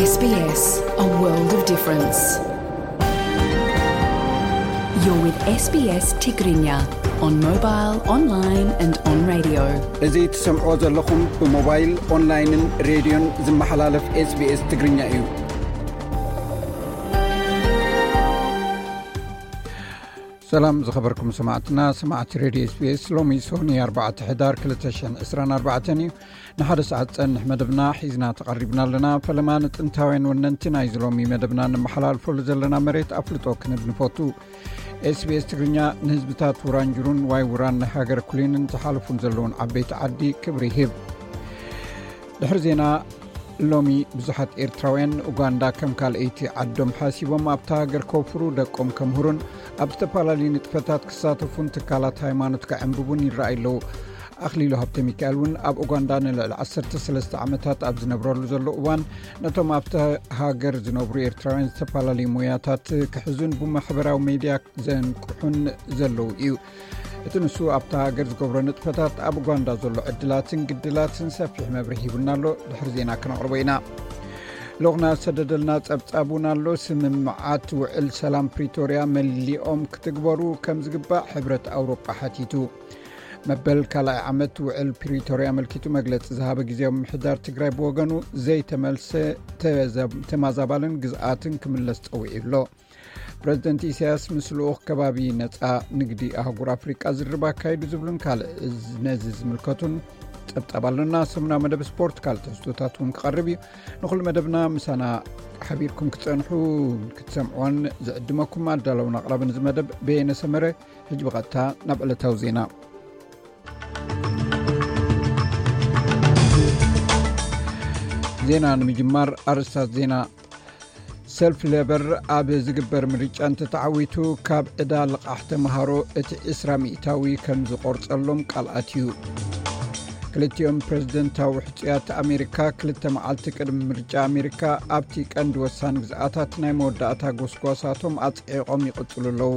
S B S, a world of difference. You're with S B S Tigrinya on mobile, online and on radio. እዚ ትሰምዕዎ ዘለኹም ብሞባይል፣ ኦንላይንን ሬድዮን ዝመሓላለፍ S B S ትግርኛ እዩ። ሰላም ዝኸበርኩም ሰማዕትና፣ ሰማዕቲ ሬድዮ S B S፣ ሎሚ ሶኒ ኣርባዕተ ሕዳር ክልተ ሽሕን ዕስራን ኣርባዕተን እዩ። ንሓደ ሰዓት ጸንሕ መደብና ሒዝና ተቐሪብና ኣለና። ፈለማ ንጥንታውያን ወነንቲ ናይዚ ሎሚ መደብና ንመሓላልፈሉ ዘለና መሬት ኣፍልጦ ክንብ ንፈቱ። S B S ትግርኛ ንህዝብታት ውራንጅሩን ዋይ ውራን ናይ ሃገር ኩሊንን ዝሓለፉን ዘለውን ዓበይቲ ዓዲ ክብሪ ይህብ። ድሕሪ ዜና፣ ሎሚ ብዙሓት ኤርትራውያን ንኡጋንዳ ከም ካልኣይቲ ዓዶም ሓሲቦም ኣብታ ሃገር ከውፍሩ፣ ደቆም ከምህሩን ኣብ ዝተፈላለዩ ንጥፈታት ክሳተፉን ትካላት ሃይማኖት ከዕንብቡን ይረኣዩ ኣለዉ። ኣኽሊሉ ሃብተ ሚካኤል እውን ኣብ ኡጋንዳ ንልዕሊ ዓሰርተ ሰለስተ ዓመታት ኣብ ዝነብረሉ ዘሎ እዋን ነቶም ኣብታ ሃገር ዝነብሩ ኤርትራውያን ዝተፈላለዩ ሞያታት ክሕዙን ብማሕበራዊ ሜድያ ዘንቅሑን ዘለዉ እዩ። እቲ ንሱ ኣብታ ሃገር ዝገብሮ ንጥፈታት ኣብ ኡጋንዳ ዘሎ ዕድላትን ግድላትን ሰፊሕ መብርሂ ሂቡና ኣሎ። ድሕሪ ዜና ክነቕርቦ ኢና። ልኡኽና ዝሰደደልና ጸብጻብ እውን ኣሎ። ስምምዓት ውዕል ሰላም ፕሪቶርያ መሊኦም ክትግበሩ ከም ዝግባእ ሕብረት ኣውሮጳ ሓቲቱ። መበል ካልኣይ ዓመት ውዕል ፕሪቶርያ ኣመልኪቱ መግለጺ ዝሃበ ግዜያዊ ምምሕዳር ትግራይ ብወገኑ ዘይተመልሰ ተዘ-፣ ተማዛባልን ግዝኣትን ክምለስ ጸዊዑ ኣሎ። ፕረዚደንት ኢሳያስ ምስ ልኡኽ ከባቢ ነጻ ንግዲ ኣህጉር ኣፍሪቃ ዝርርብ ኣካይዱ ዝብሉን ካልእ እዚ ነዚ ዝምልከቱን ጸብጻብ ኣሎና። ሰሙናዊ መደብ ስፖርት፣ ካልእ ትሕዝቶታት እውን ክቐርብ እዩ። ንኹሉ መደብና ምሳና ሓቢርኩም ክትጸንሑ ክትሰምዕዎን ዝዕድመኩም ኣዳለውን ኣቕራብን እዚ መደብ በየነ ሰመረ። ሕጂ ብቐጥታ ናብ ዕለታዊ ዜና። ዜና ንምጅማር ኣርእስታት ዜና። ሰልፊ ሌበር ኣብ ዝግበር ምርጫ እንተተዓዊቱ ካብ ዕዳ ልቓሕ ተምሃሮ እቲ ዕስራ ሚእታዊ ከም ዝቖርጸሎም ቃል ኣትዩ። ክልቲኦም ፕረዚደንታዊ ሕጹያት ኣሜሪካ ክልተ መዓልቲ ቅድሚ ምርጫ ኣሜሪካ ኣብቲ ቀንዲ ወሳኒ ግዝኣታት ናይ መወዳእታ ጎስጓሳቶም ኣጽዒቖም ይቕጽሉ ኣለዉ።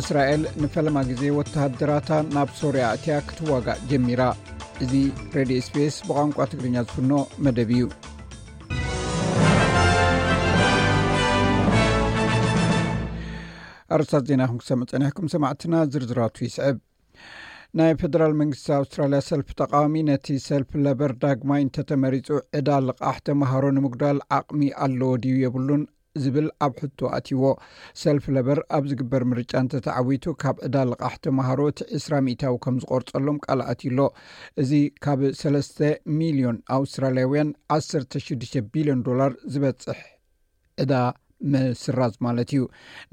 እስራኤል ንፈለማ ግዜ ወተሃደራታ ናብ ሶርያ ኣትያ ክትዋጋእ ጀሚራ። እዚ ሬድዮ S B S ብቋንቋ ትግርኛ ዝፍኖ መደብ እዩ። ኣርእስታት ዜና ኢኹም ክሰምዑ ጸኒሕኩም ሰማዕትና፣ ዝርዝራቱ ይስዕብ። ናይ ፌደራል መንግስቲ ኣውስትራልያ ሰልፊ ተቃዋሚ ነቲ ሰልፊ ለበር ዳግማይ እንተተመሪጹ ዕዳ ልቓሕ ተምሃሮ ንምጉዳል ዓቕሚ ኣለዎ ድዩ የብሉን ዝብል ኣብ ሕቶ ኣትይዎ። ሰልፊ ለበር ኣብ ዝግበር ምርጫ እንተተዓዊቱ ካብ ዕዳ ልቓሕ ተምሃሮ እቲ ዕስራ ሚእታዊ ከም ዝቆርጸሎም ቃል ኣትዩ ኣሎ። እዚ ካብ ሰለስተ ሚልዮን ኣውስትራልያውያን ዓሰርተ ሽዱሽተ ቢልዮን ዶላር ዝበጽሕ ዕዳ ምስራዝ ማለት እዩ።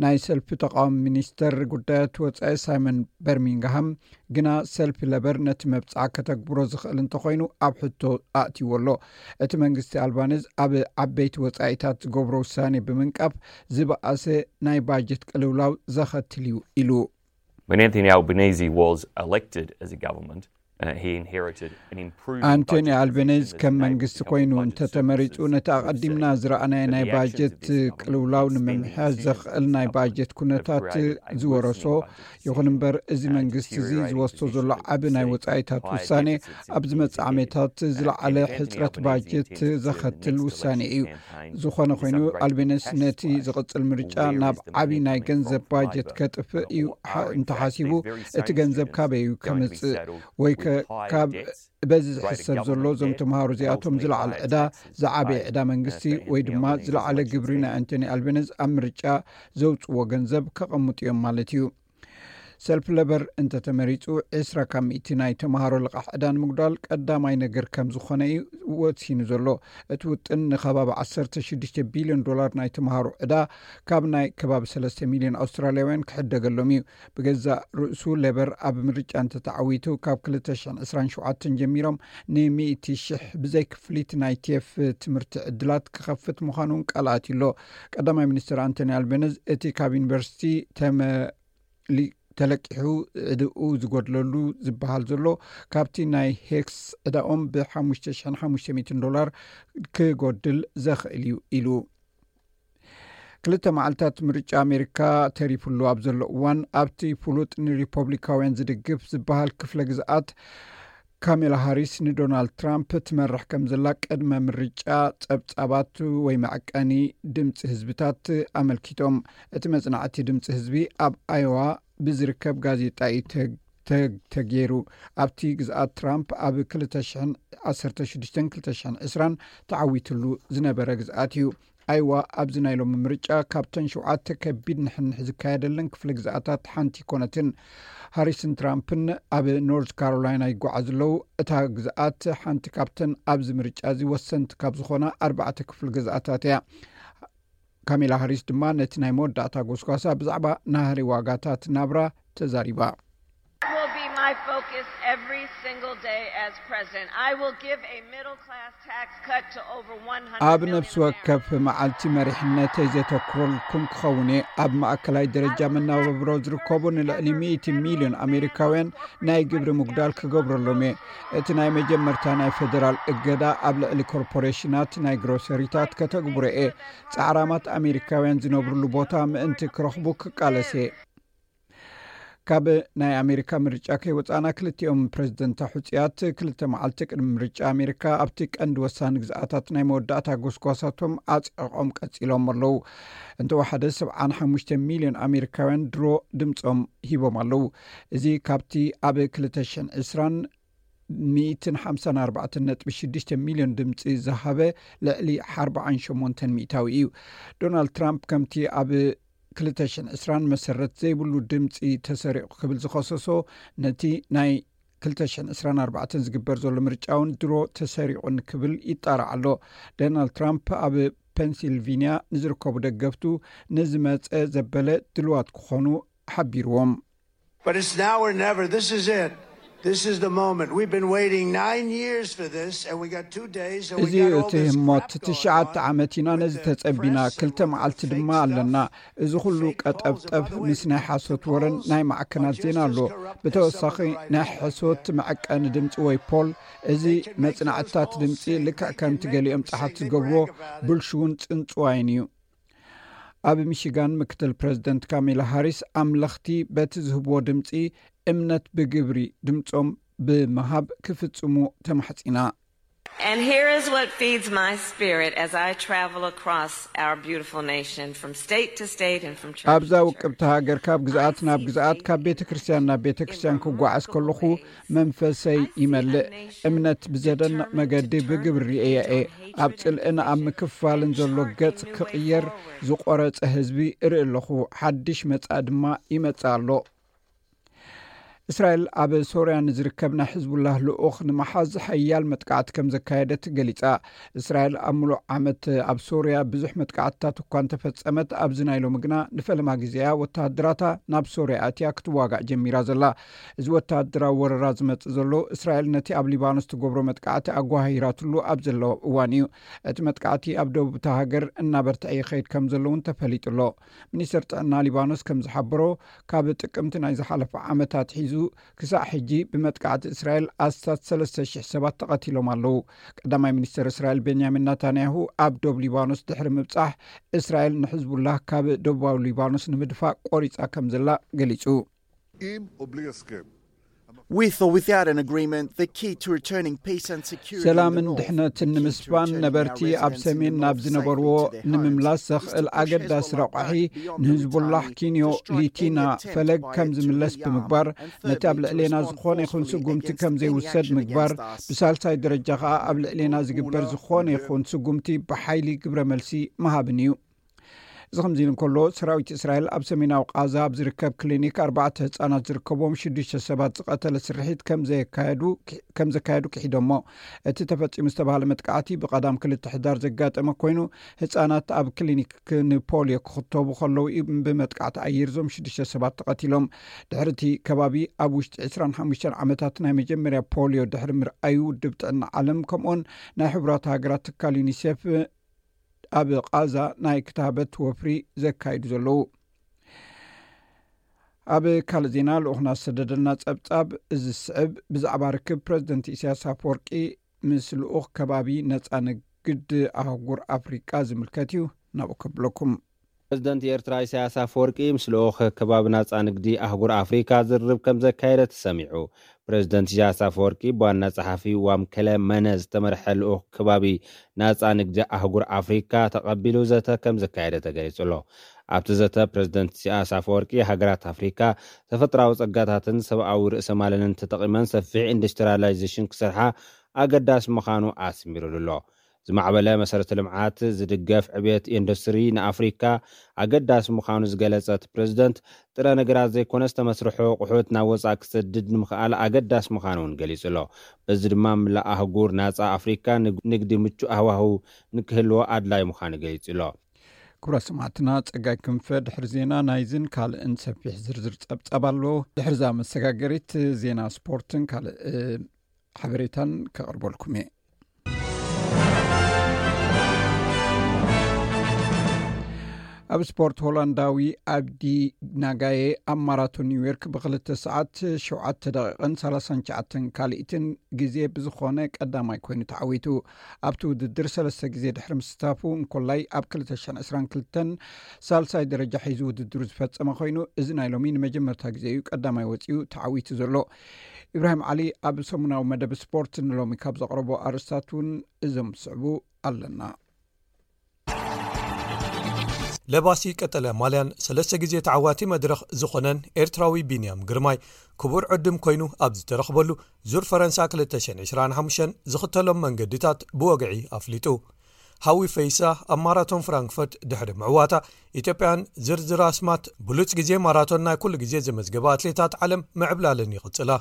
ናይ ሰልፊ ተቃዋሚ ሚኒስተር ጉዳያት ወጻኢ ሳይመን በርሚንግሃም ግና ሰልፊ ለበር ነቲ መብጽዓ ከተግብሮ ዝኽእል እንተኾይኑ ኣብ ሕቶ ኣእትይዎ ኣሎ። እቲ መንግስቲ ኣልባኒዝ ኣብ ዓበይቲ ወጻኢታት ዝገብሮ ውሳኔ ብምንቃፍ ዝበኣሰ ናይ ባጀት ቅልውላው ዘኸትል እዩ ኢሉ። When Anthony Albanese was elected as a government, uh, he inherited an improved ኣንቶኒ budget ኣልቤኔዝ position ከም that መንግስቲ is now ኮይኑ funded እንተተመሪጹ፣ services ነቲ ኣቐዲምና ዝረኣናዮ ናይ ባጀት ቅልውላው ንምምሕያሽ ዘኽእል ናይ ባጀት ኩነታት ዝወረሶ። ይኹን እምበር፣ እዚ መንግስቲ እዚ ዝወስዶ ዘሎ ዓቢ ናይ ወጻኢታት ውሳኔ ኣብ ዝመጽእ ዓመታት ዝለዓለ ሕጽረት ባጀት ዘኸትል ውሳኔ እዩ። ዝኾነ ኮይኑ፣ ኣልቤኔዝ ነቲ ዝቕጽል ምርጫ ናብ ዓቢ ናይ ገንዘብ ባጀት ከጥፍእ እዩ ሓ-፣ እንተሓሲቡ፣ እቲ ገንዘብ ካበይ እዩ ከምጽእ? ወይ ከ-፣ ካብ በዚ ዝሕሰብ ዘሎ፣ እዞም ተምሃሮ እዚኣቶም ዝለዓለ ዕዳ፣ ዝዓበየ ዕዳ መንግስቲ ወይ ድማ ዝለዓለ ግብሪ ናይ ኣንቶኒ ኣልቤኔዝ ኣብ ምርጫ ዘውጽዎ ገንዘብ ከቐምጡ እዮም ማለት እዩ። ሰልፊ ለበር እንተተመሪጹ፣ ዕስራ ካብ ሚእቲ ናይ ተምሃሮ ልቓሕ ዕዳ ንምጉዳል ቀዳማይ ነገር ከም ዝኾነ እዩ ወሲኑ ዘሎ። እቲ ውጥን ንከባቢ ዓሰርተ ሽዱሽተ ቢልዮን ዶላር ናይ ተምሃሮ ዕዳ ካብ ናይ ከባቢ ሰለስተ ሚልዮን ኣውስትራልያውያን ክሕደገሎም እዩ። ብገዛእ ርእሱ፣ ሌበር ኣብ ምርጫ እንተተዓዊቱ፣ ካብ ክልተ ሽሕን ዕስራን ሸውዓተን ጀሚሮም ንሚእቲ ሽሕ ብዘይ ክፍሊት ናይ ቴፍ ትምህርቲ ዕድላት ክኸፍት ምዃኑን ቃል ኣትዩ ኣሎ። ቀዳማይ ሚኒስትር ኣንቶኒ ኣልቤነዝ፣ እቲ ካብ ዩኒቨርሲቲ ተመ-፣ ሊ-፣ ተለቂሑ ዕድኡ ዝጎድለሉ ዝበሃል ዘሎ፣ ካብቲ ናይ ሄክስ ዕዳኦም ብሓሙሽተ ሽሕን ሓሙሽተ ሚእትን ዶላር ክጎድል ዘኽእል እዩ ኢሉ። ክልተ መዓልታት ምርጫ ኣሜሪካ ተሪፉሉ ኣብ ዘሎ እዋን፣ ኣብቲ ፍሉጥ ንሪፐብሊካውያን ዝድግፍ ዝበሃል ክፍለ ግዝኣት ካሜላ ሃሪስ ንዶናልድ ትራምፕ ትመርሕ ከም ዘላ ቅድመ ምርጫ ጸብጻባት ወይ መዐቀኒ ድምፂ ህዝብታት ኣመልኪቶም። እቲ መጽናዕቲ ድምፂ ህዝቢ ኣብ ኣዮዋ ብዝርከብ ጋዜጣ እዩ ተግ- ተግ- ተገይሩ። ኣብቲ ግዝኣት ትራምፕ ኣብ ክልተ ሽሕን ዓሰርተ ሽዱሽተን ክልተ ሽሕን ዕስራን ተዓዊትሉ ዝነበረ ግዝኣት እዩ። ኣይዋ ኣብዚ ናይ ሎሚ ምርጫ ካብተን ሸውዓተ ከቢድ ንሕንሕ ዝካየደለን ክፍለ ግዝኣታት ሓንቲ ኣይኮነትን። ሃሪስን ትራምፕን ኣብ ኖርዝ ካሮላይና ይጓዓዙ ኣለዉ። እታ ግዝኣት ሓንቲ ካብተን ኣብዚ ምርጫ እዚ ወሰንቲ ካብ ዝኾና ኣርባዕተ ክፍለ ግዝኣታት እያ። ካሜላ ሃሪስ ድማ ነቲ ናይ መወዳእታ ጎስጓሳ ብዛዕባ ናህሪ ዋጋታት ናብራ ተዛሪባ። Will be my focus every single day as president. I will give a middle class tax cut to over ኣብ one hundred million ነፍሲ ወከፍ Americans. መዓልቲ መሪሕነተይ ዘተኩረልኩም ክኸውን እየ። ኣብ ማእከላይ ደረጃ መናባብሮ ዝርከቡ ንልዕሊ ሚእቲ ሚልዮን ኣሜሪካውያን ናይ ግብሪ ምጉዳል ክገብረሎም እየ። እቲ ናይ መጀመርታ ናይ ፌደራል እገዳ ኣብ ልዕሊ ኮርፖሬሽናት ናይ ግሮሰሪታት ከተግብሮ እየ። ጻዕራማት ኣሜሪካውያን ዝነብርሉ ቦታ ምእንቲ ክረኽቡ ክቃለስ እየ። ካብ ናይ ኣሜሪካ ምርጫ ከይወፃና ክልቲኦም ፕሬዝደንት ሕፁያት ክልተ መዓልቲ ቅድሚ ምርጫ ኣሜሪካ ኣብቲ ቀንዲ ወሳኒ ግዝኣታት ናይ መወዳእታ ጎስጓሳቶም ኣፅዕቆም ቀፂሎም ኣለዉ። እንተወሓደ ሰብዓን ሓሙሽተ ሚልዮን ኣሜሪካውያን ድሮ ድምፆም ሂቦም ኣለዉ። እዚ ካብቲ ኣብ ክልተ ሽሕን ዕስራን ሚእትን ሓምሳን ኣርባዕተን ነጥቢ ሽዱሽተ ሚልዮን ድምፂ ዝሃበ ልዕሊ ኣርባዓን ሸሞንተን ሚእታዊ እዩ። ዶናልድ ትራምፕ ከምቲ ኣብ ክልተ ሽሕን ዕስራን መሰረት ዘይብሉ ድምፂ ተሰሪቑ ክብል ዝኸሰሶ ነቲ ናይ ክልተ ሽሕን ዕስራን ኣርባዕተን ዝግበር ዘሎ ምርጫ እውን ድሮ ተሰሪቑን ክብል ይጣራዕ ኣሎ። ዶናልድ ትራምፕ ኣብ ፔንሲልቪንያ ንዝርከቡ ደገፍቱ ንዝመፀ ዘበለ ድልዋት ክኾኑ ሓቢርዎም። But it's now or never. This is it. This is the moment. We've been waiting nine years for this, and we got two days, and we እዚ got all እቲ this ህሞት crap going ትሽዓተ on. ዓመት ኢና ነዚ ተጸቢና። ክልተ መዓልቲ ድማ ኣለና። እዚ ኩሉ ቀጠብጠብ ምስ ናይ ሓሶት ወረን ናይ ማዕከናት ዜና ኣሎ። ብተወሳኺ ናይ ሕሶት መዐቀኒ ድምፂ ወይ ፖል፣ እዚ መጽናዕትታት ድምፂ ልክዕ ከምቲ ገሊኦም ጸሓፍቲ ዝገብርዎ ብልሽውን ጽንጽዋይን እዩ። ኣብ ሚሽጋን ምክትል ፕሬዝደንት ካሜላ ሃሪስ ኣምለኽቲ በቲ ዝህብዎ ድምፂ እምነት ብግብሪ ድምፆም ብምሃብ ክፍፅሙ ተማሕፂና። And here is what feeds my spirit as I travel across our beautiful nation from state to state and from church ኣብዛ to church. ውቅብቲ ሃገር ካብ ግዝኣት ናብ ግዝኣት ካብ ቤተ ክርስቲያን ናብ ቤተ ክርስቲያን ክጓዓዝ ከለኹ መንፈሰይ ይመልእ። እምነት ብዘደንቕ መገዲ ብግብሪ ርእየ እየ። ኣብ ጽልእን ኣብ ምክፋልን ዘሎ ገጽ ክቕየር ዝቆረጸ ህዝቢ እርኢ ኣለኹ። ሓድሽ መጻኢ ድማ ይመጽእ ኣሎ። እስራኤል ኣብ ሶርያ ንዝርከብ ናይ ሕዝቡላህ ልኡኽ ንምሓዝ ሓያል መጥቃዕቲ ከም ዘካየደት ገሊጻ። እስራኤል ኣብ ምሉእ ዓመት ኣብ ሶርያ ብዙሕ መጥቃዕትታት እኳ እንተፈጸመት፣ ኣብዚ ናይ ሎሚ ግና ንፈለማ ግዜያ ወተሃደራታ ናብ ሶርያ ኣትያ ክትዋጋእ ጀሚራ ዘላ። እዚ ወተሃደራዊ ወረራ ዝመጽእ ዘሎ እስራኤል ነቲ ኣብ ሊባኖስ ትገብሮ መጥቃዕቲ ኣጓሂራትሉ ኣብ ዘለዋ እዋን እዩ። እቲ መጥቃዕቲ ኣብ ደቡብ እታ ሃገር እናበርትዐ ይኸይድ ከም ዘሎ እውን ተፈሊጡ ኣሎ። ሚኒስተር ጥዕና ሊባኖስ ከም ዝሓበሮ፣ ካብ ጥቅምቲ ናይ ዝሓለፈ ዓመት ኣትሒዙ ክሳዕ ሕጂ ብመጥቃዕቲ እስራኤል ኣስታት ሰለስተ ሽሕ ሰባት ተቐቲሎም ኣለዉ። ቀዳማይ ሚኒስተር እስራኤል ቤንያሚን ናታንያሁ ኣብ ዶብ ሊባኖስ ድሕሪ ምብጻሕ፣ እስራኤል ንሕዝቡላህ ካብ ደቡባዊ ሊባኖስ ንምድፋእ ቆሪጻ ከም ዘላ ገሊጹ። עם או בלי הסכם. With or without an agreement, the key to returning peace and security in the ሰላምን north, ድሕነትን the key to ንምስፋን returning ነበርቲ our ኣብ residents in the ሰሜን north ናብ safely ዝነበርዎ to their homes ንምምላስ is ዘኽእል to push ኣገዳሲ Hezbollah ረቋሒ back beyond the ንህዝቡላህ Litani ኪንዮ to strike any ሊቲና attempt ፈለግ by ከም it to ዝምለስ rearm ብምግባር and further ነቲ ኣብ to ልዕሌና reinforce ዝኾነ ይኹን the ስጉምቲ against ከም the ዘይውሰድ aggression ምግባር፣ against us. ብሳልሳይ ደረጃ ኸኣ ኣብ ልዕሌና ዝግበር ዝኾነ ይኹን ስጉምቲ ብሓይሊ ግብረ መልሲ ምሃብን እዩ። እዚ ከምዚ ኢሉ እንከሎ፣ ሰራዊት እስራኤል ኣብ ሰሜናዊ ቃዛ ኣብ ዝርከብ ክሊኒክ ኣርባዕተ ህጻናት ዝርከብዎም ሽዱሽተ ሰባት ዝቐተለ ስርሒት ከም ዘየካየዱ ከም ዘካየዱ ክሒዶሞ። እቲ ተፈጺሙ ዝተባህለ መጥቃዕቲ ብቐዳም ክልተ ሕዳር ዘጋጠመ ኮይኑ፣ ህጻናት ኣብ ክሊኒክ ንፖልዮ ክኽተቡ ከለዉ እዩ ብመጥቃዕቲ ኣየር እዞም ሽዱሽተ ሰባት ተቐቲሎም። ድሕሪ እቲ ከባቢ ኣብ ውሽጢ ዕስራን ሓሙሽተን ዓመታት ናይ መጀመርያ ፖልዮ ድሕሪ ምርኣዩ፣ ውድብ ጥዕና ዓለም ከምኡውን ናይ ሕቡራት ሃገራት ትካል ዩኒሴፍ ኣብ ቓዛ ናይ ክታበት ወፍሪ ዘካይዱ ዘለዉ። ኣብ ካልእ ዜና፣ ልኡኽና ዝሰደደልና ጸብጻብ እዚ ዝስዕብ ብዛዕባ ርክብ ፕረዚደንት ኢሳያስ ኣፈወርቂ ምስ ልኡኽ ከባቢ ነጻ ንግድ ኣህጉር ኣፍሪቃ ዝምልከት እዩ። ናብኡ ከብለኩም። ፕረዚደንት ኤርትራ ኢሳያስ ኣፈወርቂ ምስ ልኡኽ ከባቢ ናጻ ንግዲ ኣህጉር ኣፍሪካ ዝርርብ ከም ዘካየደ ተሰሚዑ። ፕሬዝደንት ኢሳያስ ኣፈወርቂ ብዋና ጸሓፊ ዋምከለ መነ ዝተመርሐ ልኡኽ ከባቢ ናጻ ንግዲ ኣህጉር ኣፍሪካ ተቐቢሉ ዘተ ከም ዘካየደ ተገሊጹ ኣሎ። ኣብቲ ዘተ ፕሬዝደንት ኢሳያስ ኣፈወርቂ ሃገራት ኣፍሪካ ተፈጥራዊ ጸጋታትን ሰብኣዊ ርእሰ ማለንን ተጠቒመን ሰፊሕ ኢንዱስትሪያላይዜሽን ክሰርሓ ኣገዳሲ ምዃኑ ኣስሚሩሉ ኣሎ። ዝማዕበለ መሰረተ ልምዓት ዝድገፍ ዕብየት ኢንዱስትሪ ንኣፍሪካ ኣገዳሲ ምዃኑ ዝገለጸት ፕሬዝደንት፣ ጥረ ነገራት ዘይኮነስ ተመስርሖ ኣቑሑት ናብ ወጻኢ ክሰድድ ንምኽኣል ኣገዳሲ ምዃኑ እውን ገሊጹ ኣሎ። በዚ ድማ ምላእ ኣህጉር ናጻ ኣፍሪካ ንግ- ንግዲ ምቹእ ሃዋህው ንክህልዎ ኣድላይ ምዃኑ ገሊጹ ኣሎ። ክቡራት ሰማዕትና፣ ጸጋይ ክንፈ ድሕሪ ዜና ናይዝን ካልእን ሰፊሕ ዝርዝር ጸብጻብ ኣሎ። ድሕርዛ መሰጋገሪት ዜና ስፖርትን ካልእ ሓበሬታን ከቕርበልኩም እየ። ኣብ ስፖርት፣ ሆላንዳዊ ኣብዲ ናጋየ ኣብ ማራቶን ኒውዮርክ ብክልተ ሰዓት ሸውዓተ ደቂቕን ሰላሳን ትሽዓተን ካልኢትን ግዜ ብዝኾነ ቀዳማይ ኮይኑ ተዓዊቱ። ኣብቲ ውድድር ሰለስተ ግዜ ድሕሪ ምስታፉ እንኮላይ ኣብ ክልተ ሽሕን ዕስራን ክልተን ሳልሳይ ደረጃ ሒዙ ውድድሩ ዝፈጸመ ኮይኑ፣ እዚ ናይ ሎሚ ንመጀመርታ ግዜ እዩ ቀዳማይ ወጺኡ ተዓዊቱ ዘሎ። ኢብራሂም ዓሊ ኣብ ሰሙናዊ መደብ ስፖርት ንሎሚ ካብ ዘቕረቦ ኣርእስታት እውን እዞም ዝስዕቡ ኣለና። ለባሲ ቀጠልያ ማልያን ሰለስተ ግዜ ተዓዋቲ መድረኽ ዝኾነን ኤርትራዊ ቢንያም ግርማይ ክቡር ዕድም ኮይኑ ኣብ ዝተረኽበሉ ዙር ፈረንሳ ክልተ ሽሕን ዕስራን ሓሙሽተን ዝኽተሎም መንገድታት ብወግዒ ኣፍሊጡ። ሃዊ ፈይሳ ኣብ ማራቶን ፍራንክፈርት ድሕሪ ምዕዋታ፣ ኢትዮጵያን ዝርዝር ኣስማት ብሉጽ ግዜ ማራቶን ናይ ኩሉ ግዜ ዘመዝገባ ኣትሌታት ዓለም ምዕብላለን ይቕጽላ።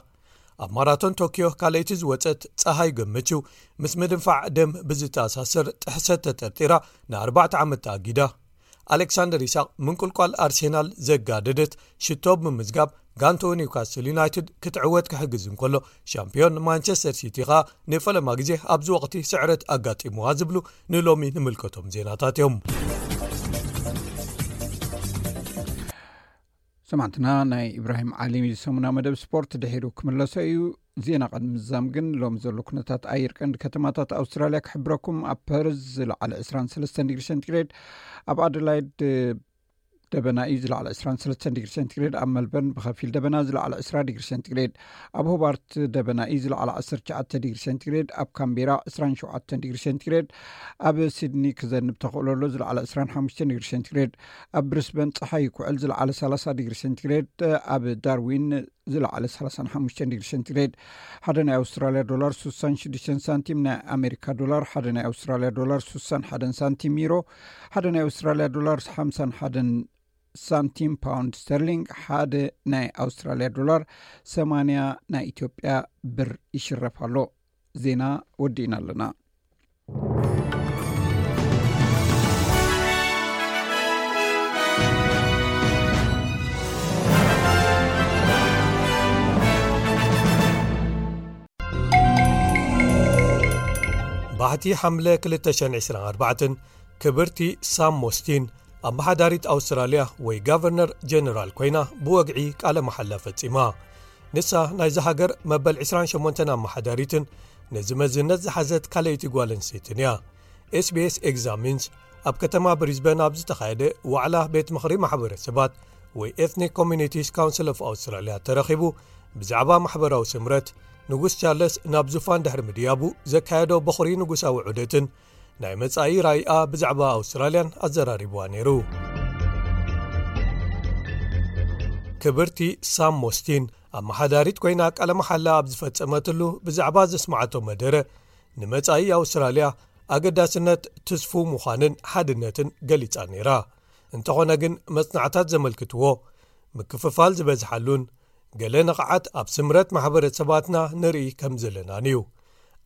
ኣብ ማራቶን ቶኪዮ ካልኣይቲ ዝወጸት ጸሃይ ገመችው፣ ምስ ምድንፋዕ ደም ብዝተኣሳሰር ጥሕሰት ተጠርጢራ ንኣርባዕተ ዓመት ተኣጊዳ። ኣሌክሳንደር ይስሐቅ ምንቁልቋል ኣርሴናል ዘጋደደት ሽቶ ብምምዝጋብ ጋንትኡ ኒውካስል ዩናይትድ ክትዕወት ክሕግዝ እንከሎ፣ ሻምፒዮን ማንቸስተር ሲቲ ኸኣ ንፈለማ ግዜ ኣብዚ ወቕቲ ስዕረት ኣጋጢምዋ ዝብሉ ንሎሚ ንምልከቶም ዜናታት እዮም። ሰማዕትና፣ ናይ ኢብራሂም ዓሊ ሰሙና መደብ ስፖርት ድሒሩ ክምለሶ እዩ። ዜና ቅድሚ ምዛም ግን ሎሚ ዘሎ ኩነታት ኣየር ቀንዲ ከተማታት ኣውስትራልያ ክሕብረኩም። ኣብ ፐርዝ ዝለዓለ ዕስራን ሰለስተን ዲግሪ ሴንቲግሬድ፣ ኣብ ኣደላይድ ደበና እዩ ዝለዓለ ዕስራን ሰለስተን ዲግሪ ሴንቲግሬድ፣ ኣብ መልበርን ብኸፊል ደበና ዝለዓለ ዕስራ ዲግሪ ሴንቲግሬድ፣ ኣብ ሆባርት ደበና እዩ ዝለዓለ ዓሰርተ ትሽዓተ ዲግሪ ሴንቲግሬድ፣ ኣብ ካምቤራ ዕስራን ሸውዓተን ዲግሪ ሴንቲግሬድ፣ ኣብ ሲድኒ ክዘንብ ተኽእሎ ኣሎ ዝለዓለ ዕስራን ሓሙሽተን ዲግሪ ሴንቲግሬድ፣ ኣብ ብሪስበን ጸሓይ ይኩዕል ዝለዓለ ሰላሳ ዲግሪ ሴንቲግሬድ፣ ኣብ ዳርዊን ዝለዓለ ሰላሳን ሓሙሽተን ዲግሪ ሴንቲግሬድ። ሓደ ናይ ኣውስትራልያ ዶላር ስሳን ሽዱሽተን ሳንቲም፣ ናይ ኣሜሪካ ዶላር ሓደ ናይ ኣውስትራልያ ዶላር ስሳን ሓደን ሳንቲም፣ ዩሮ ሓደ ናይ ኣውስትራልያ ዶላር ሓምሳን ሓደን ሳንቲም፣ ፓውንድ ስተርሊንግ ሓደ ናይ ኣውስትራልያ ዶላር ሰማንያ ናይ ኢትዮጵያ ብር ይሽረፍ ኣሎ። ዜና ወዲእና ኣለና። ባሕቲ ሓምለ ክልተ ሽሕን ዕስራን ኣርባዕተን፣ ክብርቲ ሳም ሞስቲን ኣመሓዳሪት ኣውስትራልያ ወይ ጋቨርነር ጀነራል ኮይና ብወግዒ ቃለ መሓላ ፈጺማ። ንሳ ናይዛ ሃገር መበል ዕስራን ሸሞንተን ኣመሓዳሪትን ነዚ መዝነት ዝሓዘት ካልኣይቲ ጓል ኣንስተይትን እያ። ኤስቢኤስ ኤግዛሚንስ ኣብ ከተማ ብሪዝበን ኣብ ዝተኻየደ ዋዕላ ቤት ምኽሪ ማሕበረሰባት ወይ ኤትኒክ ኮሚኒቲስ ካውንስል ኦፍ ኣውስትራልያ ተረኺቡ ብዛዕባ ማሕበራዊ ስምረት፣ ንጉስ ቻርለስ ናብ ዙፋን ድሕሪ ምድያቡ ዘካየዶ በኹሪ ንጉሳዊ ዑደትን ናይ መጻኢ ራእይኣ ብዛዕባ ኣውስትራልያን ኣዘራሪብዋ ነይሩ። ክብርቲ ሳም ሞስቲን ኣመሓዳሪት ኮይና ቃለ መሓላ ኣብ ዝፈጸመትሉ ብዛዕባ ዘስማዓቶ መደረ፣ ንመጻኢ ኣውስትራልያ ኣገዳስነት ትስፉው ምዃንን ሓድነትን ገሊጻ ነይራ። እንተኾነ ግን መጽናዕታት ዘመልክትዎ ምክፍፋል ዝበዝሓሉን ገለ ነቕዓት ኣብ ስምረት ማሕበረሰባትና ንርኢ ከም ዘለናን እዩ።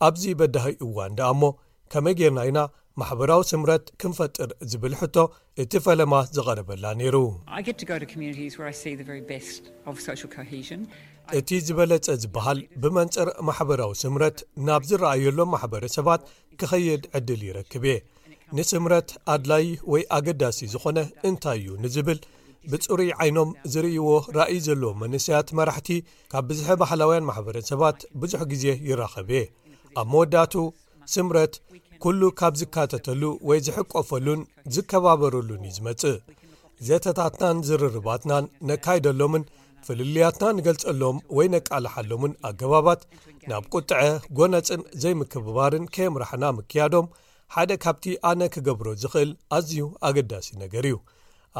ኣብዚ በዳሂ እዋን ደኣ እሞ ከመይ ጌርና ኢና ማሕበራዊ ስምረት ክንፈጥር ዝብል ሕቶ እቲ ፈለማ ዝቐረበላ ነይሩ። I get to go to communities where I see the very best of social cohesion. እቲ ዝበለጸ ዝበሃል ብመንጽር ማሕበራዊ ስምረት ናብ ዝረኣየሎም ማሕበረሰባት ክኸይድ ዕድል ይረክብ እየ። ንስምረት ኣድላዪ ወይ ኣገዳሲ ዝኾነ እንታይ እዩ ንዝብል ብጽሩይ ዓይኖም ዝርእይዎ ራእይ ዘለዎም መንእሰያት መራሕቲ ካብ ብዝሒ ባህላውያን ማሕበረሰባት ብዙሕ ግዜ ይራኸብ እየ። ኣብ መወዳእቱ ስምረት ኩሉ ካብ ዝካተተሉ ወይ ዝሕቆፈሉን ዝከባበረሉን እዩ ዝመጽእ። ዘተታትናን ዝርርባትናን ነካይደሎምን ፍልልያትና ንገልጸሎም ወይ ነቃልሓሎምን ኣገባባት ናብ ቁጥዐ፣ ጎነጽን ዘይምክብባርን ከየምራሕና ምክያዶም ሓደ ካብቲ ኣነ ክገብሮ ዝኽእል ኣዝዩ ኣገዳሲ ነገር እዩ።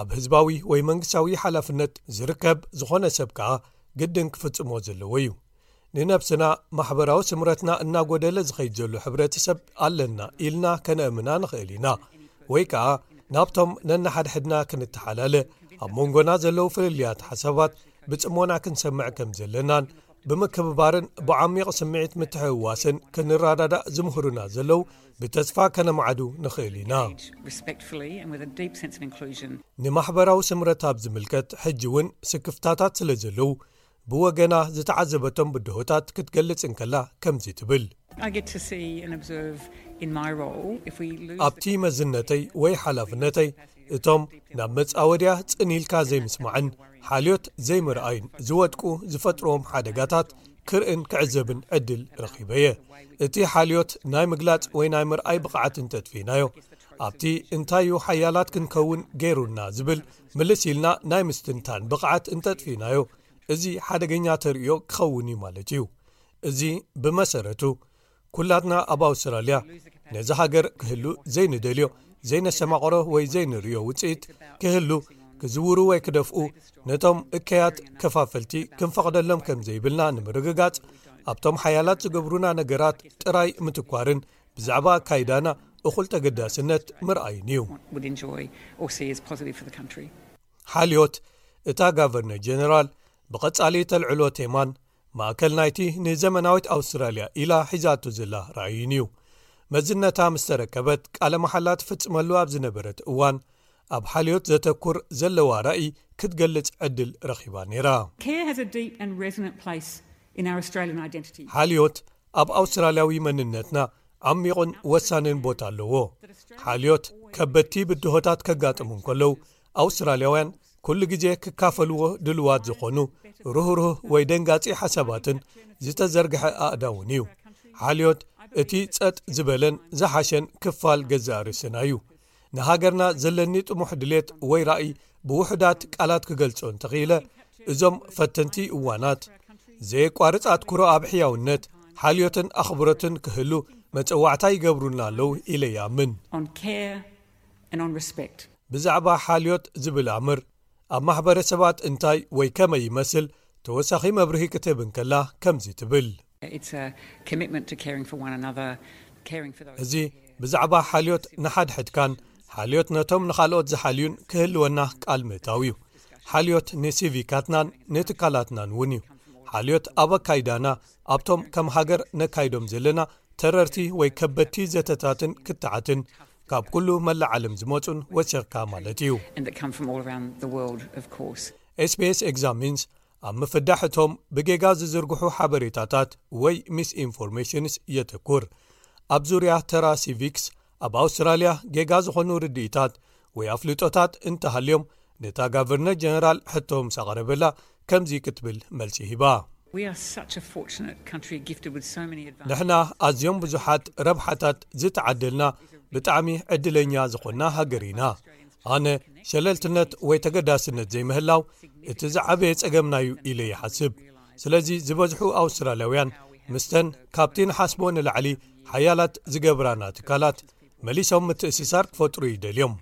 ኣብ ህዝባዊ ወይ መንግስታዊ ሓላፍነት ዝርከብ ዝኾነ ሰብ ከኣ ግድን ክፍጽሞ ዘለዎ እዩ። ንነብስና፣ ማሕበራዊ ስምረትና እናጎደለ ዝኸይድ ዘሎ ሕብረተሰብ ኣለና ኢልና ከነእምና ንኽእል ኢና። ወይ ከኣ ናብቶም ነንሓድሕድና ክንተሓላለ፣ ኣብ መንጎና ዘለዉ ፍልልያት ሓሳባት ብጽሞና ክንሰምዕ ከም ዘለናን ብምክብባርን ብዓሚቕ ስምዒት ምትሕውዋስን ክንረዳዳእ ዝምህሩና ዘለዉ ብተስፋ ከነማዕዱ ንኽእል ኢና። Respectfully and with a deep sense of inclusion. ንማሕበራዊ ስምረት ኣብ ዝምልከት ሕጂ እውን ስክፍታታት ስለ ዘለዉ ብወገና ዝተዓዘበቶም ብድሆታት ክትገልጽ እንከላ ከምዚ ትብል። I get to see and observe in my role if we lose ኣብቲ መዝነተይ ወይ ሓላፍነተይ እቶም ናብ መጻወድያ ጽን ኢልካ ዘይምስማዕን ሓልዮት ዘይምርኣይን ዝወድቁ ዝፈጥርዎም ሓደጋታት ክርእን ክዕዘብን ዕድል ረኺበ እየ። እቲ ሓልዮት ናይ ምግላጽ ወይ ናይ ምርኣይ ብቕዓት እንተጥፊናዮ፣ ኣብቲ እንታዩ ሓያላት ክንከውን ገይሩና ዝብል ምልስ ኢልና ናይ ምስትንታን ብቕዓት እንተጥፊናዮ፣ እዚ ሓደገኛ ተርእዮ ክኸውን እዩ ማለት እዩ። እዚ ብመሰረቱ ኩላትና ኣብ ኣውስትራልያ ነዚ ሃገር ክህሉ ዘይንደልዮ፣ ዘይነሰማቕሮ ወይ ዘይንርእዮ ውጽኢት ክህሉ ክዝውሩ ወይ ክደፍኡ፣ ነቶም እከያት ከፋፈልቲ ክንፈቕደሎም ከም ዘይብልና ንምርግጋጽ፣ ኣብቶም ሓያላት ዝገብሩና ነገራት ጥራይ ምትኳርን ብዛዕባ ኣካይዳና እኹል ተገዳስነት ምርኣይን እዩ። Would enjoy or see as positive for the country. ሓልዮት እታ ጋቨርነር ጀነራል ብቐጻሊ ተልዕሎ ቴማን ማእከል ናይቲ ንዘመናዊት ኣውስትራልያ ኢላ ሒዛቶ ዘላ ራእይን እዩ። መዝነታ ምስ ተረከበት ቃለ መሓላ ትፍጽመሉ ኣብ ዝነበረት እዋን ኣብ ሓልዮት ዘተኩር ዘለዋ ራእይ ክትገልጽ ዕድል ረኺባ ነይራ። Care has a deep and resonant place in our Australian identity. ሓልዮት ኣብ ኣውስትራልያዊ መንነትና ዓሚቑን ወሳንን ቦታ ኣለዎ። ሓልዮት ከበድቲ ብድሆታት ከጋጥሙ እንከለዉ ኣውስትራልያውያን ኩሉ ግዜ ክካፈልዎ ድልዋት ዝኾኑ ርህሩህ ወይ ደንጋጺ ሓሳባትን ዝተዘርግሐ ኣእዳውን እዩ። ሓልዮት እቲ ጸጥ ዝበለን ዝሓሸን ክፋል ገዛእ ርእስና እዩ። ንሃገርና ዘለኒ ጥሙሕ ድሌት ወይ ራእይ ብውሑዳት ቃላት ክገልጾ እንተኽኢለ፣ እዞም ፈተንቲ እዋናት ዘየቋርጽ ኣትኩሮ ኣብ ሕያውነት፣ ሓልዮትን ኣኽብሮትን ክህሉ መጸዋዕታ ይገብሩልና ኣለዉ ኢለ ይኣምን። On care and on respect. ብዛዕባ ሓልዮት ዝብል ኣምር ኣብ ማሕበረሰባት እንታይ ወይ ከመይ ይመስል ተወሳኺ መብርሂ ክትህብ እንከላ ከምዚ ትብል። It's a commitment to caring for one another, caring for those. እዚ ብዛዕባ ሓልዮት ንሓድሕድካን ሓልዮት ነቶም ንኻልኦት ዝሓልዩን ክህልወና ቃል ምእታው እዩ። ሓልዮት ንሲቪካትናን ንትካላትናን እውን እዩ። ሓልዮት ኣብ ኣካይዳና ኣብቶም ከም ሃገር ነካይዶም ዘለና ተረርቲ ወይ ከበድቲ ዘተታትን ክትዓትን ካብ ኩሉ መላእ ዓለም ዝመጹን ወሲኽካ ማለት እዩ። And that come from all around the world, of course. ኤስቢኤስ ኤግዛሚንስ ኣብ ምፍዳሕ እቶም ብጌጋ ዝዝርግሑ ሓበሬታታት ወይ ሚስኢንፎርሜሽንስ የተኩር። ኣብ ዙርያ ተራ ሲቪክስ ኣብ ኣውስትራልያ ጌጋ ዝኾኑ ርድኢታት ወይ ኣፍልጦታት እንተሃልዮም፣ ነታ ጋቨርነር ጀነራል ሕቶ ምስ ኣቕረበላ ከምዚ ክትብል መልሲ ሂባ። We are such a fortunate country gifted with so many advantages. ንሕና ኣዝዮም ብዙሓት ረብሓታት ዝተዓደልና ብጣዕሚ ዕድለኛ ዝኾንና ሃገር ኢና። ኣነ ሸለልትነት ወይ ተገዳስነት ዘይምህላው እቲ ዝዓበየ ጸገምና እዩ ኢለ ይሓስብ። ስለዚ ዝበዝሑ ኣውስትራልያውያን ምስተን ካብቲ ንሓስቦ ንላዕሊ ሓያላት ዝገብራና ትካላት መሊሶም ምትእስሳር ክፈጥሩ ይደልዮም።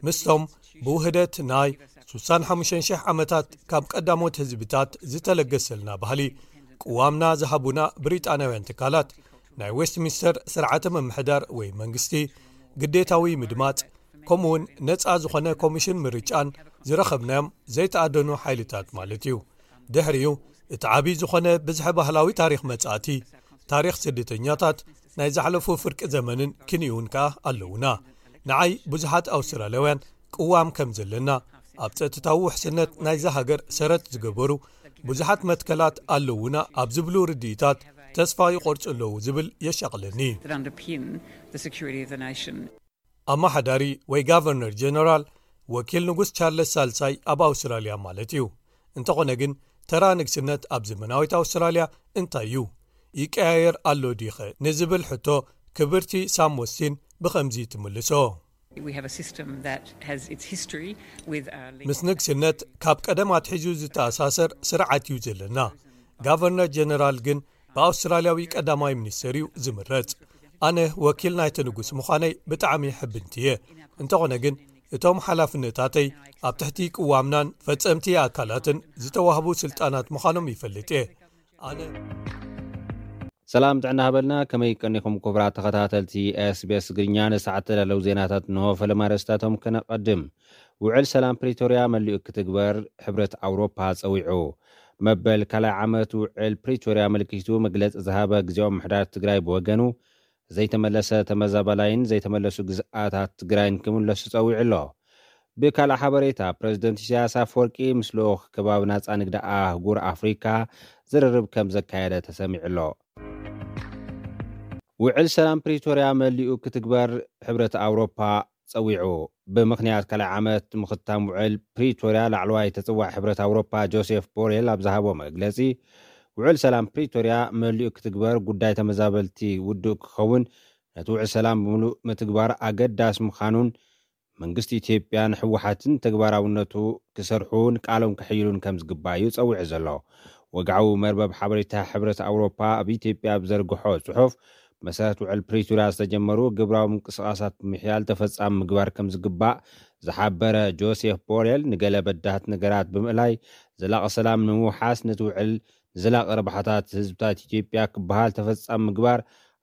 ምስቶም ብውህደት ናይ ሱሳን ሓሙሽተ ሽሕ ዓመታት ካብ ቀዳሞት ህዝብታት ዝተለገሰልና ባህሊ ቅዋምና ዝሃቡና ብሪጣንያውያን ትካላት ናይ ዌስትሚንስተር ስርዓተ ምምሕዳር ወይ መንግስቲ፣ ግዴታዊ ምድማጽ፣ ከምኡውን ነጻ ዝኾነ ኮሚሽን ምርጫን ዝረኸብናዮም ዘይተኣደኑ ሓይልታት ማለት እዩ። ድሕሪኡ እቲ ዓብዪ ዝኾነ ብዝሒ ባህላዊ ታሪኽ መጻእቲ፣ ታሪኽ ስደተኛታት፣ ናይ ዝሓለፉ ፍርቂ ዘመንን ክንዩን ከኣ ኣለዉና። ንዓይ ብዙሓት ኣውስትራልያውያን ቅዋም ከም ዘለና፣ ኣብ ጸጥታዊ ውሕስነት ናይዛ ሃገር ሰረት ዝገበሩ ብዙሓት መትከላት ኣለዉና ኣብ ዝብሉ ርድኢታት ተስፋ ይቖርጹ ኣለዉ ዝብል የሻቕለኒ። That underpin the security of the nation. ኣመሓዳሪ ወይ ጋቨርነር ጀነራል ወኪል ንጉስ ቻርለስ ሳልሳይ ኣብ ኣውስትራልያ ማለት እዩ። እንተኾነ ግን ተራ ንግስነት ኣብ ዘመናዊት ኣውስትራልያ እንታይ እዩ? ይቀያየር ኣሎ ዲኸ ንዝብል ሕቶ ክብርቲ ሳም ሞስቲን ብኸምዚ ትምልሶ። We have a system that has its history with uh, ምስ ንግስነት ካብ ቀደም ኣትሒዙ ዝተኣሳሰር ስርዓት እዩ ዘለና። ጋቨርነር ጀነራል ግን ብኣውስትራልያዊ ቀዳማይ ሚኒስትር እዩ ዝምረጽ። ኣነ ወኪል ናይቲ ንጉስ ምዃነይ ብጣዕሚ ሕብንቲ እየ። እንተኾነ ግን እቶም ሓላፍነታተይ ኣብ ትሕቲ ቅዋምናን ፈጸምቲ ኣካላትን ዝተዋህቡ ስልጣናት ምዃኖም ይፈልጥ እየ። ኣነ ሰላም ጥዕና ሃበልና። ከመይ ቀኒኹም ክቡራት ተኸታተልቲ ኤስቢኤስ ትግርኛ? ንሰዓት ተዳለዉ ዜናታት እንሆ። ፈለማ ኣርእስታቶም ከነቐድም። ውዕል ሰላም ፕሪቶርያ መሊኡ ክትግበር ሕብረት ኣውሮፓ ጸዊዑ። መበል ካልኣይ ዓመት ውዕል ፕሪቶርያ ኣመልኪቱ መግለጺ ዝሃበ ግዜያዊ ምምሕዳር ትግራይ ብወገኑ ዘይተመለሰ ተመዛባላይን ዘይተመለሱ ግዝኣታት ትግራይን ክምለሱ ጸዊዑ ኣሎ። ብካልእ ሓበሬታ፣ ፕረዚደንት ኢሳያስ ኣፈወርቂ ምስ ልኡኽ ከባቢ ናጻ ንግዲ ኣህጉር ኣፍሪካ ዝርርብ ከም ዘካየደ ተሰሚዑ ኣሎ። ውዕል ሰላም ፕሪቶርያ መሊኡ ክትግበር ሕብረት ኣውሮፓ ጸዊዑ። ብምኽንያት ካልኣይ ዓመት ምኽታም ውዕል ፕሪቶርያ ላዕለዋይ ተጽዋዕ ሕብረት ኣውሮፓ ጆሴፍ ቦሬል ኣብ ዝሃቦ መግለጺ፣ ውዕል ሰላም ፕሪቶርያ መሊኡ ክትግበር ጉዳይ ተመዛበልቲ ውዱእ ክኸውን ነቲ ውዕል ሰላም ብምሉእ ምትግባር ኣገዳሲ ምዃኑን መንግስቲ ኢትዮጵያን ህወሓትን ተግባራውነቱ ክሰርሑን ቃሎም ከሕይሉን ከም ዝግባእ እዩ ጸዊዑ ዘሎ። ወግዓዊ መርበብ ሓበሬታ ሕብረት ኣውሮፓ ኣብ ኢትዮጵያ ኣብ ዘርግሖ ጽሑፍ፣ መሰረት ውዕል ፕሪቶርያ ዝተጀመሩ ግብራዊ ምንቅስቓሳት ብምሕያል ተፈጻሚ ምግባር ከም ዝግባእ ዝሓበረ ጆሴፍ ቦሬል፣ ንገለ በዳህት ነገራት ብምእላይ ዘላቒ ሰላም ንምውሓስ ነቲ ውዕል ንዘላቒ ረብሓታት ህዝብታት ኢትዮጵያ ክበሃል ተፈጻሚ ምግባር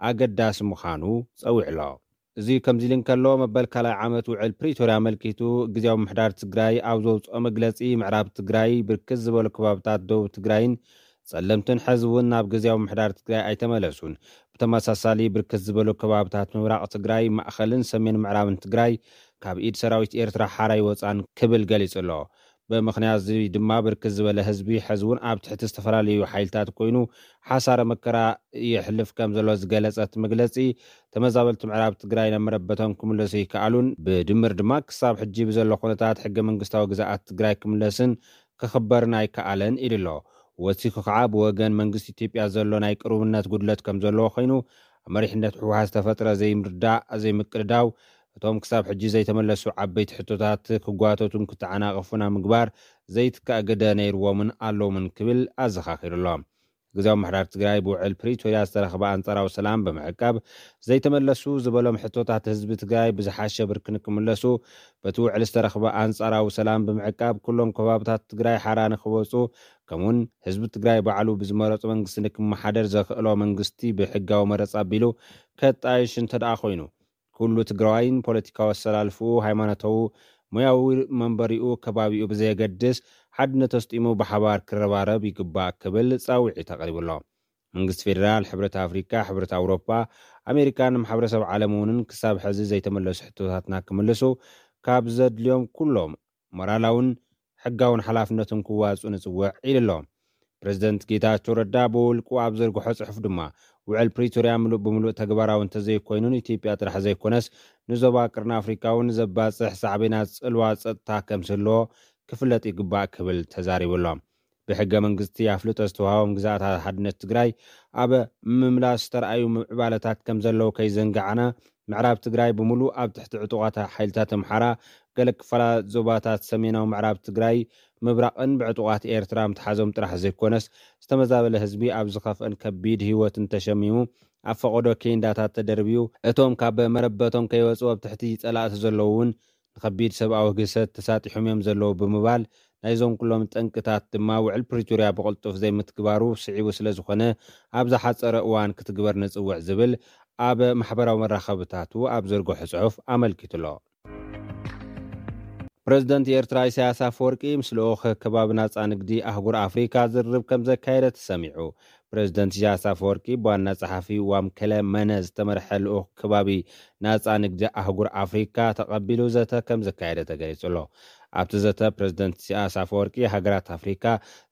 ኣገዳሲ ምዃኑ ጸዊዑ ኣሎ። እዚ ከምዚ ኢሉ እንከሎ፣ መበል ካልኣይ ዓመት ውዕል ፕሪቶርያ ኣመልኪቱ ግዜያዊ ምምሕዳር ትግራይ ኣብ ዘውፅኦ መግለፂ፣ ምዕራብ ትግራይ ብርክት ዝበሉ ከባብታት ደቡብ ትግራይን ፀለምትን ሕዚ እውን ናብ ግዜያዊ ምምሕዳር ትግራይ ኣይተመለሱን። ብተመሳሳሊ፣ ብርክት ዝበሉ ከባብታት ምብራቕ ትግራይ፣ ማእኸልን ሰሜን ምዕራብን ትግራይ ካብ ኢድ ሰራዊት ኤርትራ ሓራ ኣይወፃን ክብል ገሊፁ ኣሎ። ብምኽንያት እዚ ድማ ብርክት ዝበለ ህዝቢ ሕዚ እውን ኣብ ትሕቲ ዝተፈላለዩ ሓይልታት ኮይኑ ሓሳረ መከራ የሕልፍ ከም ዘሎ ዝገለጸ እቲ መግለጺ፣ ተመዛበልቲ ምዕራብ ትግራይ ናብ መረበቶም ክምለሱ ይከኣሉን ብድምር ድማ ክሳብ ሕጂ ብዘሎ ኩነታት ሕገ መንግስታዊ ግዝኣት ትግራይ ክምለስን ክኽበርን ኣይከኣለን ኢሉ ኣሎ። ወሲኹ ከዓ ብወገን መንግስቲ ኢትዮጵያ ዘሎ ናይ ቅሩብነት ጉድለት ከም ዘለዎ ኮይኑ፣ ኣብ መሪሕነት ህወሓት ዝተፈጥረ ዘይምርዳእ ዘይምቅድዳው እቶም ክሳብ ሕጂ ዘይተመለሱ ዓበይቲ ሕቶታት ክጓተቱን ክተዓናቐፉን ኣብ ምግባር ዘይትካእ ግደ ነይርዎምን ኣለዎምን ክብል ኣዘኻኺሩ ኣሎ። ግዝያዊ ምምሕዳር ትግራይ ብውዕል ፕሪቶርያ ዝተረኽበ ኣንጻራዊ ሰላም ብምዕቃብ ዘይተመለሱ ዝበሎም ሕቶታት ህዝቢ ትግራይ ብዝሓሸ ብርኪ ንክምለሱ በቲ ውዕል ዝተረኽበ ኣንጻራዊ ሰላም ብምዕቃብ ኩሎም ከባብታት ትግራይ ሓራ ንክወፁ ከምኡውን ህዝቢ ትግራይ ባዕሉ ብዝመረፁ መንግስቲ ንክመሓደር ዘኽእሎ መንግስቲ ብሕጋዊ መረፃ ኣቢሉ ከጣይሽ እንተደኣ ኮይኑ ኩሉ ትግራዋይን ፖለቲካዊ ኣሰላልፍኡ፣ ሃይማኖታዊ፣ ሞያዊ መንበሪኡ፣ ከባቢኡ ብዘየገድስ ሓድነት ኣስጢሙ ብሓባር ክረባረብ ይግባእ ክብል ፃውዒት ኣቕሪቡ ኣሎ። መንግስቲ ፌዴራል፣ ሕብረት ኣፍሪካ፣ ሕብረት ኣውሮፓ፣ ኣሜሪካን ማሕበረሰብ ዓለም እውን ክሳብ ሕዚ ዘይተመለሱ ሕቶታትና ክምልሱ ካብ ዘድልዮም ኩሎም ሞራላውን ሕጋውን ሓላፍነቶም ክዋፅኡ ንፅውዕ ኢሉ ኣሎ። ፕረዚደንት ጌታቸው ረዳ ብውልቁ ኣብ ዘርግሖ ፅሑፍ ድማ ውዕል ፕሪቶርያ ምሉእ ብምሉእ ተግባራዊ እንተዘይኮይኑ ንኢትዮጵያ ጥራሕ ዘይኮነስ ንዞባ ቅርኒ ኣፍሪካ እውን ዘባፅሕ ሳዕቤናት ፅልዋ ፀጥታ ከም ዝህልዎ ክፍለጥ ይግባእ ክብል ተዛሪቡ ኣሎ። ብሕገ መንግስቲ ኣፍልጦ ዝተዋሃቦም ግዛኣት ሓድነት ትግራይ ኣብ ምምላስ ዝተረኣዩ ምዕባለታት ከም ዘለዉ ከይዘንጋዕና ምዕራብ ትግራይ ብምሉእ ኣብ ትሕቲ ዕጡቓት ሓይልታት ኣምሓራ፣ ገለ ክፋላት ዞባታት ሰሜናዊ ምዕራብ ትግራይ ምብራቕን ብዕጡቓት ኤርትራ ምትሓዞም ጥራሕ ዘይኮነስ ዝተመዛበለ ህዝቢ ኣብ ዝኸፍአን ከቢድ ህይወትን ተሸሚሙ ኣብ ፈቐዶ ኬንዳታት ተደርብዩ እቶም ካብ መረበቶም ከይወፁ ኣብ ትሕቲ ፀላእቲ ዘለዉ እውን ንኸቢድ ሰብኣዊ ግህሰት ተሳጢሖም እዮም ዘለዉ ብምባል ናይዞም ኩሎም ጠንቅታት ድማ ውዕል ፕሪቶርያ ብቕልጡፍ ዘይምትግባሩ ስዒቡ ስለ ዝኾነ ኣብ ዝሓፀረ እዋን ክትግበር ንፅውዕ ዝብል ኣብ ማሕበራዊ መራኸብታቱ ኣብ ዘርግሖ ፅሑፍ ኣመልኪቱ ኣሎ። ፕረዚደንት ኤርትራ ኢሳያስ ኣፈወርቂ ምስ ልኡኽ ከባቢ ናጻ ንግዲ ኣህጉር ኣፍሪካ ዝርርብ ከም ዘካየደ ተሰሚዑ። ፕረዚደንት ኢሳያስ ኣፈወርቂ ብዋና ጸሓፊ ዋምከለ መነ ዝተመርሐ ልኡኽ ከባቢ ናጻ ንግዲ ኣህጉር ኣፍሪካ ተቐቢሉ ዘተ ከም ዘካየደ ተገሊጹ ኣሎ። ኣብቲ ዘተ ፕረዚደንት ኢሳያስ ኣፈወርቂ ሃገራት ኣፍሪካ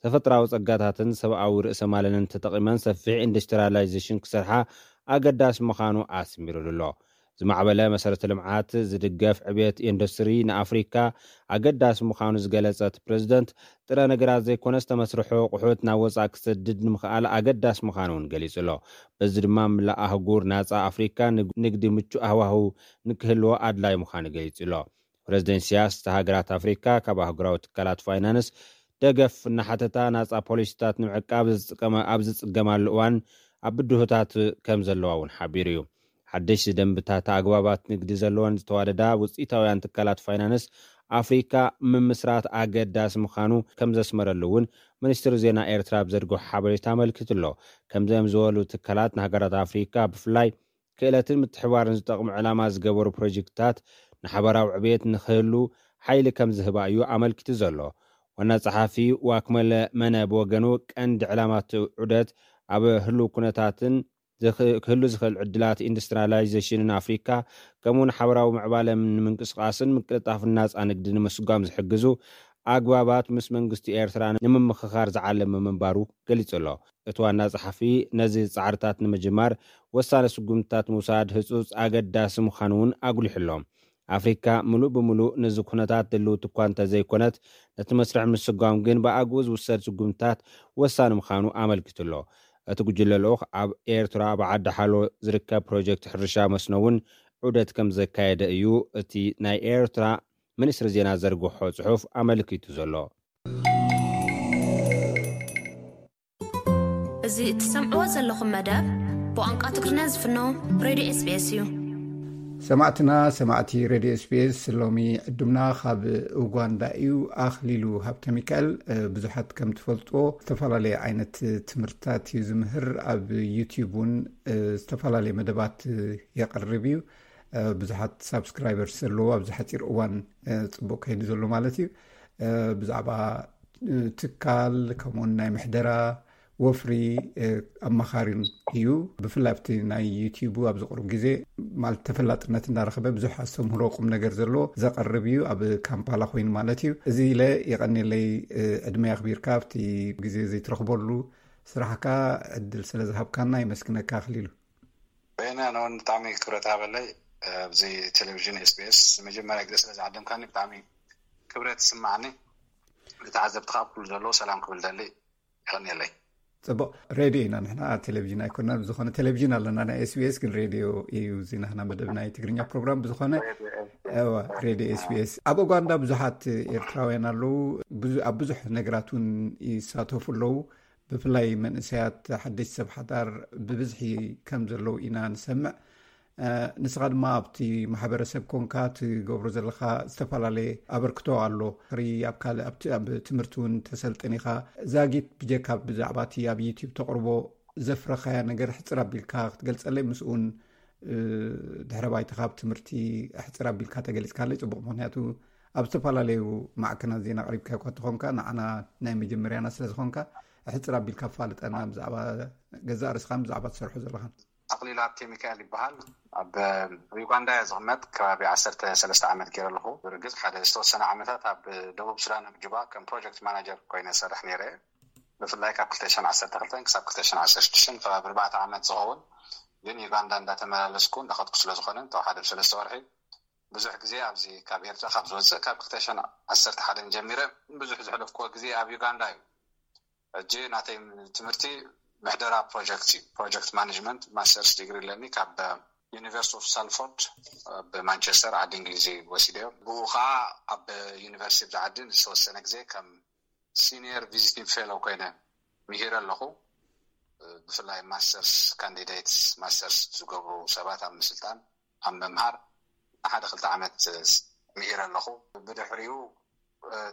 ተፈጥራዊ ጸጋታትን ሰብኣዊ ርእሰ ማለንን ተጠቒመን ሰፊሕ ኢንዱስትሪላይዜሽን ክሰርሓ ኣገዳሲ ምዃኑ ኣስሚሩሉ ኣሎ። ዝማዕበለ መሰረተ ልምዓት ዝድገፍ ዕብየት ኢንዱስትሪ ንኣፍሪካ ኣገዳሲ ምዃኑ ዝገለጸት ፕሬዚደንት፣ ጥረ ነገራት ዘይኮነስ ተመስርሖ ኣቑሑት ናብ ወጻኢ ክሰድድ ንምኽኣል ኣገዳሲ ምዃኑ እውን ገሊጹ ኣሎ። በዚ ድማ ምላእ ኣህጉር ናጻ ኣፍሪካ ንግ- ንግዲ ምቹእ ሃዋህው ንክህልዎ ኣድላይ ምዃኑ ገሊጹ ኣሎ። ፕሬዚደንት ኢሳያስ፣ ሃገራት ኣፍሪካ ካብ ኣህጉራዊ ትካላት ፋይናንስ ደገፍ እናሓተታ፣ ናጻ ፖሊሲታት ንምዕቃብ ዝጥቀመ- ኣብ ዝጽገማሉ እዋን ኣብ ብድሆታት ከም ዘለዋ እውን ሓቢሩ እዩ። ሓደሽቲ ደንብታት ኣግባባት ንግዲ ዘለወን ዝተዋደዳ ውፅኢታውያን ትካላት ፋይናንስ ኣፍሪካ ምምስራት ኣገዳሲ ምዃኑ ከም ዘስመረሉ እውን ሚኒስትሪ ዜና ኤርትራ ኣብ ዘርግሖ ሓበሬታ ኣመልኪቱ ኣሎ። ከምዚኦም ዝበሉ ትካላት ንሃገራት ኣፍሪካ ብፍላይ ክእለትን ምትሕባርን ዝጠቕሙ ዕላማ ዝገበሩ ፕሮጀክትታት ንሓበራዊ ዕብየት ንክህሉ ሓይሊ ከም ዝህባ እዩ ኣመልኪቱ ዘሎ። ዋና ጸሓፊ ዋክመለ መነ ብወገኑ፣ ቀንዲ ዕላማት ዑደት ኣብ ህሉው ኩነታትን ዝኽ- ክህሉ ዝኽእል ዕድላት ኢንዱስትሪላይዜሽንን ኣፍሪካ፣ ከምኡውን ሓበራዊ ምዕባለ ንምንቅስቃስን ምቅልጣፍን ናጻ ንግዲ ንምስጓም ዝሕግዙ ኣግባባት ምስ መንግስቲ ኤርትራ ንምምኽኻር ዝዓለመ ምንባሩ ገሊጹ ኣሎ። እቲ ዋና ጸሓፊ ነዚ ጻዕርታት ንምጅማር ወሳኒ ስጉምትታት ምውሳድ ህጹጽ ኣገዳሲ ምዃኑ እውን ኣጉሊሑ ኣሎ። ኣፍሪካ ምሉእ ብምሉእ ነዚ ኩነታት ድልውቲ እኳ እንተዘይኮነት፣ ነቲ መስርሕ ምስጓም ግን ብኣግኡ ዝውሰድ ስጉምትታት ወሳኒ ምዃኑ ኣመልኪቱ ኣሎ። እቲ ጉጅለ ልኡኽ ኣብ ኤርትራ ኣብ ዓዲ ሓሎ ዝርከብ ፕሮጀክት ሕርሻ መስኖ እውን ዑደት ከም ዘካየደ እዩ እቲ ናይ ኤርትራ ሚኒስትሪ ዜና ዘርግሖ ጽሑፍ ኣመልኪቱ ዘሎ። እዚ እትሰምዕዎ ዘለኹም መደብ ብቋንቋ ትግርኛ ዝፍኖ ሬድዮ ኤስቢኤስ እዩ። ሰማዕትና ሰማዕቲ ሬድዮ ኤስቢኤስ፣ ሎሚ ዕዱምና ካብ ኡጋንዳ እዩ። ኣኽሊሉ ሃብተ ሚካኤል፣ እ፣ ብዙሓት ከም ትፈልጥዎ ዝተፈላለየ ዓይነት ትምህርትታት እዩ ዝምህር። ኣብ ዩቲዩብ እውን፣ እ፣ ዝተፈላለየ መደባት፣ እ፣ የቕርብ እዩ። እ፣ ብዙሓት ሳብስክራይበርስ ዘለዎ ኣብዚ ሓፂር እዋን፣ እ፣ ፅቡቅ ከይዱ ዘሎ ማለት እዩ። እ፣ ብዛዕባ፣ እ፣ ትካል ከምኡውን ናይ ምሕደራ ወፍሪ፣ እ፣ ኣማኻሪን እዩ። ብፍላይ ኣብቲ ናይ ዩቲዩቡ ኣብዚ ቅሩብ ግዜ ማለት ተፈላጥነት እንዳረኸበ ብዙሕ ኣስተምህሮ ቁም ነገር ዘለዎ ዘቐርብ እዩ። ኣብ ካምፓላ ኮይኑ ማለት እዩ። እዚ ኢለ የቐንየለይ፣ እ፣ ዕድመ ኣኽቢርካ ኣብቲ ግዜ ዘይትረኽበሉ ስራሕካ ዕድል ስለ ዝሃብካና የመስግነካ ኣኽሊሉ። በየነ፣ ኣነ እውን ብጣዕሚ ክብረት ሃበለይ፣ ኣብዚ ቴሌቪዥን ኤስቢኤስ ንመጀመርያ ግዜ ስለ ዝዓደምካኒ ብጣዕሚ ክብረት ይስማዓኒ። ንተዓዘብቲ ከዓ ኩሉ ዘለዉ ሰላም ክብል ደሊ። ይቐንየለይ። ፅቡቅ፣ ሬድዮ ኢና ንሕና፣ ቴሌቪዥን ኣይኮናን። ብዝኾነ ቴሌቪዥን ኣለና ናይ ኤስቢኤስ፣ ግን ሬድዮ እዩ እዚ ናህና መደብ ናይ ትግርኛ ፕሮግራም። ብዝኾነ፣ እዋ፣ ሬድዮ ኤስቢኤስ። ኣብ ኡጋንዳ ብዙሓት ኤርትራውያን ኣለዉ። ብዙ- ኣብ ብዙሕ ነገራት እውን ይሳተፉ ኣለዉ። ብፍላይ መንእሰያት ሓደሽቲ ሰብ ሓዳር ብብዝሒ ከም ዘለዉ ኢና ንሰምዕ። እ፣ ንስኻ ድማ ኣብቲ ማሕበረሰብ ኮንካ ትገብሮ ዘለኻ ዝተፈላለየ ኣበርክቶ ኣሎ። ሪ ኣብ ካልእ ኣብቲ ኣብ ትምህርቲ እውን ተሰልጥን ኢኻ። ዛጊት ብጀካ ብዛዕባ እቲ ኣብ ዩቲዩብ ተቕርቦ ዘፍረኻያ ነገር ሕፅር ኣቢልካ ክትገልፀለይ፣ ምስኡን፣ እ፣ ድሕረ ባይታኻ ኣብ ትምህርቲ ሕፅር ኣቢልካ ተገሊፅካለይ ፅቡቕ። ምኽንያቱ ኣብ ዝተፈላለዩ ማዕከናት ዜና ኣቕሪብካ እኳ ተኾንካ፣ ንዓና ናይ መጀመርያና ስለ ዝኾንካ ሕፅር ኣቢልካ ፋልጠና ብዛዕባ ገዛእ ርእስኻን ብዛዕባ ትሰርሖ ዘለኻን። ኣኽሊሉ ሃብቴ ሚካኤል ይበሃል። ኣብ ዩጋንዳ እየ ዝቕመጥ። ከባቢ ዓሰርተ ሰለስተ ዓመት ገይረ ኣለኹ። ብርግጽ ሓደ ዝተወሰነ ዓመታት ኣብ ደቡብ ሱዳን ኣብ ጁባ ከም ፕሮጀክት ማናጀር ኮይነ ሰርሕ ነይረ። ብፍላይ ካብ ክልተ ሽሕን ዓሰርተ ክልተን ክሳብ ክልተ ሽሕን ዓሰርተ ሽዱሽተን ከባቢ ኣርባዕተ ዓመት ዝኸውን፣ ግን ዩጋንዳ እንዳተመላለስኩ እንዳኸድኩ ስለ ዝኾነ፣ እንተወሓደ ብሰለስተ ወርሒ ብዙሕ ግዜ ኣብዚ ካብ ኤርትራ ካብ ዝወፅእ ካብ ክልተ ሽሕን ዓሰርተ ሓደን ጀሚረ ብዙሕ ዘሕለፍኩዎ ግዜ ኣብ ዩጋንዳ እዩ። ሕጂ ናተይ ትምህርቲ ምሕደራ ፕሮጀክት እዩ። ፕሮጀክት ማኔጅመንት ማስተርስ ዲግሪ ኣለኒ ካብ ዩኒቨርሲቲ ኦፍ ሳልፎርድ ብማንቸስተር ዓዲ እንግሊዝ እዩ ወሲደዮ። ብኡ ከዓ ኣብ ዩኒቨርሲቲ ኣብዚ ዓዲ ዝተወሰነ ግዜ ከም ሲኒየር ቪዚቲንግ ፌሎ ኮይነ ምሂረ ኣለኹ። ብፍላይ ማስተርስ ካንዲዴትስ ማስተርስ ዝገብሩ ሰባት ኣብ ምስልጣን ኣብ ምምሃር ንሓደ ክልተ ዓመት ምሂረ ኣለኹ። ብድሕሪኡ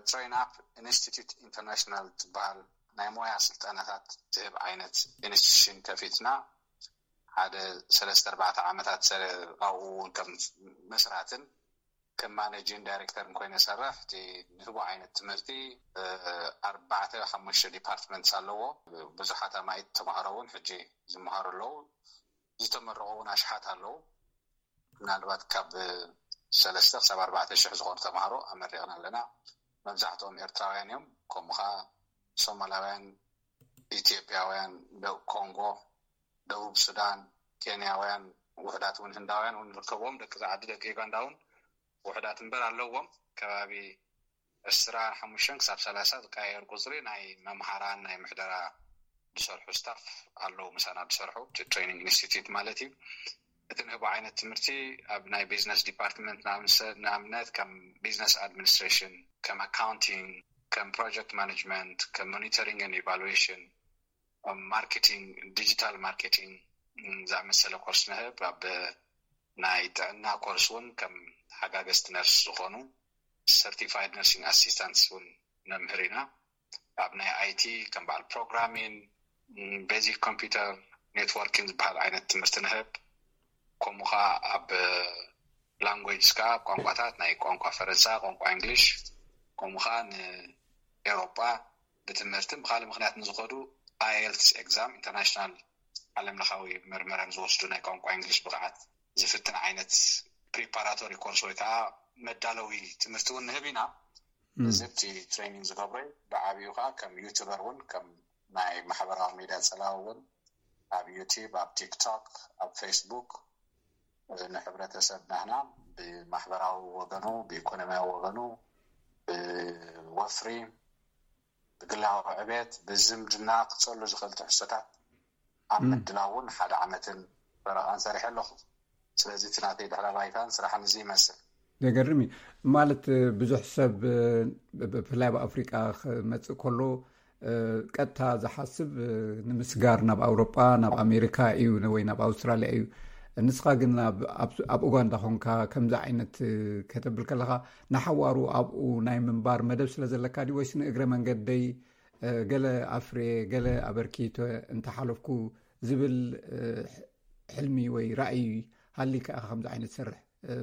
ትሬን ኣፕ ኢንስቲትዩት ኢንተርናሽናል ትበሃል ናይ ሞያ ስልጠናታት ትህብ ዓይነት ኢንስቲትዩሽን ከፊትና ሓደ ሰለስተ ኣርባዕተ ዓመታት ሰለ ኣብኡ እውን ከም መስራትን ከም ማኔጂንግ ዳይሬክተርን ኮይነ ሰርሕ። እቲ ንህቦ ዓይነት ትምህርቲ ኣርባዕተ ሓሙሽተ ዲፓርትመንትስ ኣለዎ። ብዙሓት ኣማኢት ተማሃሮ እውን ሕጂ ዝመሃሩ ኣለዉ። ዝተመረቑ እውን ኣሽሓት ኣለዉ። ምናልባት ካብ ሰለስተ ክሳብ ኣርባዕተ ሽሕ ዝኾኑ ተማሃሮ ኣመሪቕና ኣለና። መብዛሕትኦም ኤርትራውያን እዮም። ከምኡ ከዓ ሶማላውያን፣ ኢትዮጵያውያን፣ ደቡብ ኮንጎ፣ ደቡብ ሱዳን፣ ኬንያውያን፣ ውሕዳት እውን ህንዳውያን እውን ይርከብዎም። ደቂ ዓዲ ደቂ ዩጋንዳ እውን ውሕዳት እምበር ኣለዎም። ከባቢ ዕስራን ሓሙሽተን ክሳብ ሰላሳ ዝቀያየር ቁፅሪ ናይ መምሃራን ናይ ምሕደራ ዝሰርሑ ስታፍ ኣለዉ፣ ምሳና ዝሰርሑ ትሬኒንግ ኢንስቲትዩት ማለት እዩ። እቲ ንህቦ ዓይነት ትምህርቲ ኣብ ናይ ቢዝነስ ዲፓርትመንት ንኣብነት ከም ቢዝነስ ኣድሚኒስትሬሽን፣ ከም ኣካውንቲንግ፣ ከም ፕሮጀክት ማኔጅመንት፣ ከም ሞኒተሪንግ ን ኢቫሉዌሽን፣ ማርኬቲንግ፣ ዲጂታል ማርኬቲንግ ዝኣመሰለ ኮርስ ንህብ። ኣብ ናይ ጥዕና ኮርስ እውን ከም ሓጋገዝቲ ነርስ ዝኾኑ ሰርቲፋይድ ነርሲንግ ኣሲስታንትስ እውን ነምህር ኢና። ኣብ ናይ ኣይቲ ከም በዓል ፕሮግራሚን፣ ቤዚክ ኮምፒውተር ኔትወርኪን ዝበሃል ዓይነት ትምህርቲ ንህብ። ከምኡ ከዓ ኣብ ላንጉጅ ከዓ ኣብ ቋንቋታት ናይ ቋንቋ ፈረንሳ፣ ቋንቋ እንግሊሽ፣ ከምኡ ከዓ ንኤውሮጳ ብትምህርትን ብካልእ ምክንያት ንዝኸዱ ኣየልትስ ኤግዛም፣ ኢንተርናሽናል ዓለም ለኻዊ መርመራን ዝወስዱ ናይ ቋንቋ እንግሊሽ ብቕዓት ዝፍትን ዓይነት ፕሪፓራቶሪ ኮርስ ወይ ከዓ መዳለዊ ትምህርቲ እውን ንህብ ኢና። እዚ ኣብቲ ትሬኒንግ ዝገብሮ እዩ። ብዓብዩ ከዓ ከም ዩቱበር እውን ከም ናይ ማሕበራዊ ሚድያ ፀላዊ እውን ኣብ ዩቲብ፣ ኣብ ቲክቶክ፣ ኣብ ፌስቡክ ንሕብረተሰብ ናህና ብማሕበራዊ ወገኑ፣ ብኢኮኖሚያዊ ወገኑ፣ ብወፍሪ፣ ብግላዊ ዕቤት፣ ብዝምድና ክጸሉ ዝኽእል ትሕዝቶታት ኣብ ምድላው እውን ሓደ ዓመትን ፈረቓን ሰሪሐ ኣለኹ። ስለዚ እቲ ናተይ ድሕረ ባይታን ስራሕን እዚ ይመስል። ዘገርም እዩ። ማለት ብዙሕ ሰብ ብፍላይ ኣብ ኣፍሪቃ ክመጽእ ከሎ ቀጥታ ዝሓስብ ንምስጋር ናብ ኣውሮጳ፣ ናብ ኣሜሪካ እዩ ወይ ናብ ኣውስትራልያ እዩ። ንስኻ ግን ኣብ ኡጋንዳ ኮንካ ከምዚ ዓይነት ከተብል ከለኻ ንሓዋሩ ኣብኡ ናይ ምንባር መደብ ስለ ዘለካ ድዩ ወይስ ንእግረ መንገደይ ገለ ኣፍርየ ገለ ኣበርኪተ እንተሓለፍኩ ዝብል ሕልሚ ወይ ራእይ ሃሊካ ኢኻ ከምዚ ዓይነት ትሰርሕ?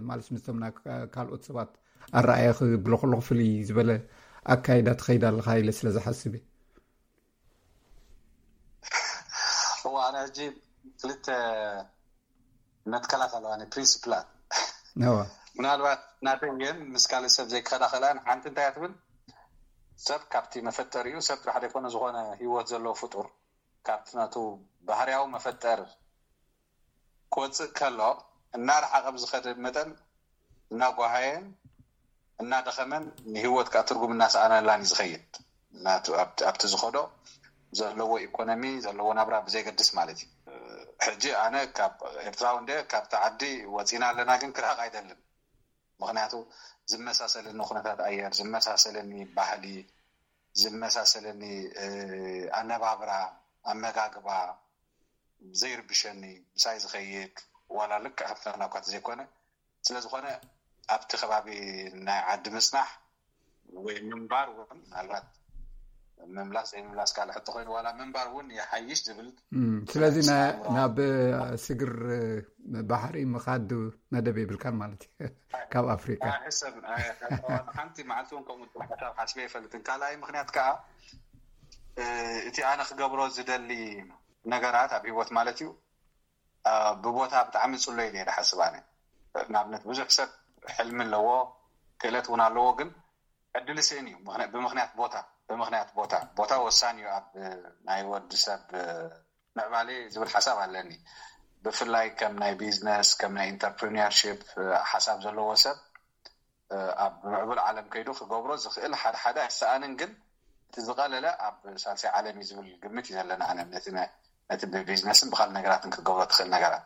ማለት ምስቶም ካልኦት ሰባት ኣረኣየ ክብሎ ከለኹ ፍልይ ዝበለ ኣካይዳ ትኸይድ ኣለኻ ኢለ ስለ ዝሓስብ እየ። እዋ ኣነ ሕጂ ክልተ መትከላት ኣለዋ ፕሪንስፕላት። ምናልባት ናተይ ግን ምስ ካልእ ሰብ ዘይክኸዳ ክእላን ሓንቲ እንታይ ትብል ሰብ ካብቲ መፈጠሪኡ ሰብ ጥራሕ ዘይኮነ ዝኾነ ህይወት ዘለዎ ፍጡር ካብቲ ናቱ ባህርያዊ መፈጠር ክወፅእ ከሎ እናረሓቐ ብዝኸደ መጠን እናጓሃየን እናደኸመን ንህይወት ከዓ ትርጉም እናሰኣነላን እዩ ዝኸይድ። ናቱ ኣብቲ ዝኸዶ ዘለዎ ኢኮኖሚ ዘለዎ ናብራ ብዘይገድስ ማለት እዩ። ሕጂ ኣነ ካብ ኤርትራዊ እንደ ካብቲ ዓዲ ወፂና ኣለና ግን ክርሕቕ ኣይደልን። ምክንያቱ ዝመሳሰለኒ ኩነታት ኣየር፣ ዝመሳሰለኒ ባህሊ፣ ዝመሳሰለኒ ኣነባብራ፣ ኣመጋግባ ዘይርብሸኒ ምሳይ ዝኸይድ ዋላ ልክዕ ሃብትና እኳ ዘይኮነ ስለዝኾነ ኣብቲ ከባቢ ናይ ዓዲ ምፅናሕ ወይ ምንባር እውን ምናልባት ምምላስ ዘይምምላስ ካልእ ሕቶ ኮይኑ ዋላ ምንባር እውን ይሓይሽ ዝብል ስለዚ ናብ ስግር ባሕሪ ምኻድ መደብ የብልካን ማለት እዩ ካብ ኣፍሪካ። ሓንቲ መዓልቲ እውን ከምኡ ሓሳብ ሓስበ ይፈልጥን ካልኣይ ምክንያት ከዓ እቲ ኣነ ክገብሮ ዝደሊ ነገራት ኣብ ህይወት ማለት እዩ ብቦታ ብጣዕሚ ፅሎ ኢለ እየ ዝሓስብ ኣነ። ንኣብነት ብዙሕ ሰብ ሕልሚ ኣለዎ ክእለት እውን ኣለዎ ግን ዕድል ይስእን እዩ ብምክንያት ቦታ ብምክንያት ቦታ ቦታ ወሳኒ እዩ ኣብ ናይ ወዲ ሰብ ምዕባሌ ዝብል ሓሳብ ኣለኒ። ብፍላይ ከም ናይ ቢዝነስ ከም ናይ ኢንተርፕሪነርሺፕ ሓሳብ ዘለዎ ሰብ ኣብ ምዕቡል ዓለም ከይዱ ክገብሮ ዝኽእል ሓደ ሓደ ኣይሰኣንን ግን እቲ ዝቐለለ ኣብ ሳልሳይ ዓለም እዩ ዝብል ግምት እዩ ዘለና ኣነ ነቲ ነቲ ብቢዝነስን ብካልእ ነገራትን ክትገብሮ ትኽእል ነገራት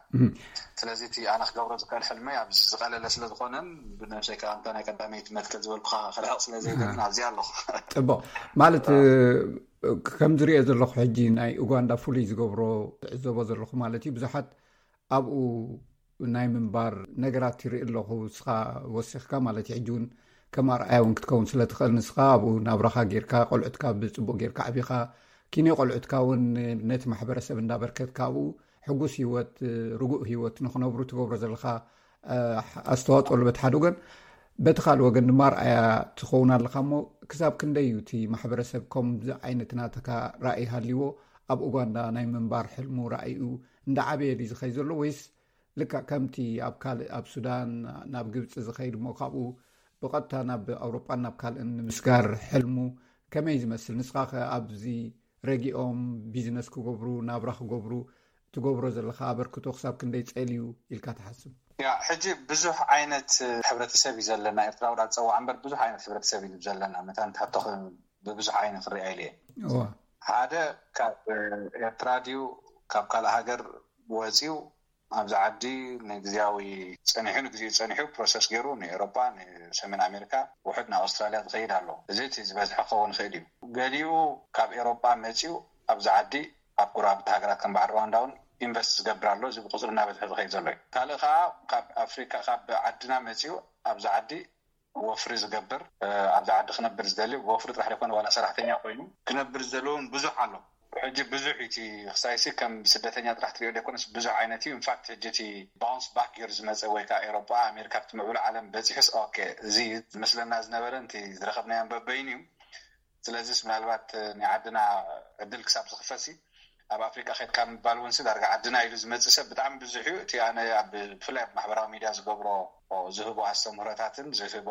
ስለዚ እቲ ኣነ ክገብሮ ዝኽእል ሕልመይ ኣብዚ ዝቐለለ ስለዝኾነን ብነብሰይ ከዓ እንተ ናይ ቀዳመይቲ መትከል ዝበልኩኻ ክርሕቕ ስለዘይደልን ኣብዚ ኣለኹ። ፅቡቕ ማለት ከም ዝሪኦ ዘለኹ ሕጂ ናይ ኡጋንዳ ፍሉይ ዝገብሮ ዝዕዘቦ ዘለኹ ማለት እዩ ብዙሓት ኣብኡ ናይ ምንባር ነገራት ይርኢ ኣለኹ እስኻ ወሲኽካ ማለት እዩ ሕጂ እውን ከም ኣርኣያ እውን ክትከውን ስለ ትኽእል ንስኻ ኣብኡ ናብራኻ ጌርካ ቆልዑትካ ብፅቡቅ ጌርካ ዓቢኻ ኪንዮ ቆልዑትካ እውን ነቲ ማሕበረሰብ እንዳበርከትካ ኣብኡ ሕጉስ ህይወት ርጉእ ህይወት ንክነብሩ ትገብሮ ዘለካ ኣስተዋፅኦ ኣሎ በቲ ሓደ ወገን በቲ ካልእ ወገን ድማ ኣርኣያ ትኸውን ኣለካ እሞ ክሳብ ክንደይ እዩ እቲ ማሕበረሰብ ከምዚ ዓይነት ናተካ ራእይ ሃልይዎ ኣብ ኡጋንዳ ናይ ምንባር ሕልሙ ራእይኡ እንዳዓበየ ድዩ ዝኸይ ዘሎ ወይስ ልክዕ ከምቲ ኣብ ካልእ ኣብ ሱዳን ናብ ግብፂ ዝኸይድ እሞ ካብኡ ብቐጥታ ናብ ኣውሮጳን ናብ ካልእን ንምስጋር ሕልሙ ከመይ ዝመስል ንስኻ ከ ኣብዚ ረጊኦም ቢዝነስ ክገብሩ ናብራ ክገብሩ ትገብሮ ዘለካ ኣበርክቶ ክሳብ ክንደይ ጸልዩ ኢልካ ትሓስብ? ያ ሕጂ ብዙሕ ዓይነት ሕብረተሰብ እዩ ዘለና። ኤርትራዊ ዳ ጸዋዕ እምበር ብዙሕ ዓይነት ሕብረተሰብ እዩ ዘለና። መታን ታቶኸ ብብዙሕ ዓይነት ክሪኣ ኢለ እየ። እዋ ሓደ ካብ ኤርትራ ድዩ ካብ ካልእ ሃገር ወፂኡ ኣብዚ ዓዲ ንግዚያዊ ጸኒሑ ንግዚኡ ጸኒሑ ፕሮሰስ ገይሩ ንኤሮጳ ንሰሜን ኣሜሪካ ውሕድ ናብ ኣውስትራልያ ዝኸይድ ኣሎ። እዚ እቲ ዝበዝሐ ክኸውን ይኽእል እዩ። ገሊኡ ካብ ኤሮጳ መፂኡ ኣብዚ ዓዲ ኣብ ጎረባብቲ ሃገራት ከም በዓል ሩዋንዳ እውን ኢንቨስት ዝገብር ኣሎ። እዚ ብቁፅሪ እናበዝሐ ዝኸይድ ዘሎ እዩ። ካልእ ከዓ ካብ ኣፍሪካ ካብ ዓድና መፂኡ ኣብዚ ዓዲ ወፍሪ ዝገብር ኣብዚ ዓዲ ክነብር ዝደሊ ወፍሪ ጥራሕ ዘይኮነ ዋላ ሰራሕተኛ ኮይኑ ክነብር ዝደሊ እውን ብዙሕ ኣሎ። ሕጂ ብዙሕ እቲ ክሳይሲ ከም ስደተኛ ጥራሕ ትሪኦ ዘይኮነስ ብዙሕ ዓይነት እዩ። ኢንፋክት ሕጂ እቲ ባውንስ ባክ ገይሩ ዝመፀ ወይ ከዓ ኤሮጳ ኣሜሪካ ብቲ ምዕቡል ዓለም በፂሑስ ኦኬ እዚ ዝመስለና ዝነበረ ንቲ ዝረኸብናዮ በበይኑ እዩ። ስለዚስ ምናልባት ናይ ዓድና ዕድል ክሳብ ዝኽፈትሲ ኣብ ኣፍሪቃ ከድካ ምባል እውን ሲ ዳርጋ ዓድና ኢሉ ዝመፅእ ሰብ ብጣዕሚ ብዙሕ እዩ። እቲ ኣነ ኣብ ብፍላይ ኣብ ማሕበራዊ ሚድያ ዝገብሮ ዝህቦ ኣስተምህሮታትን ዝህቦ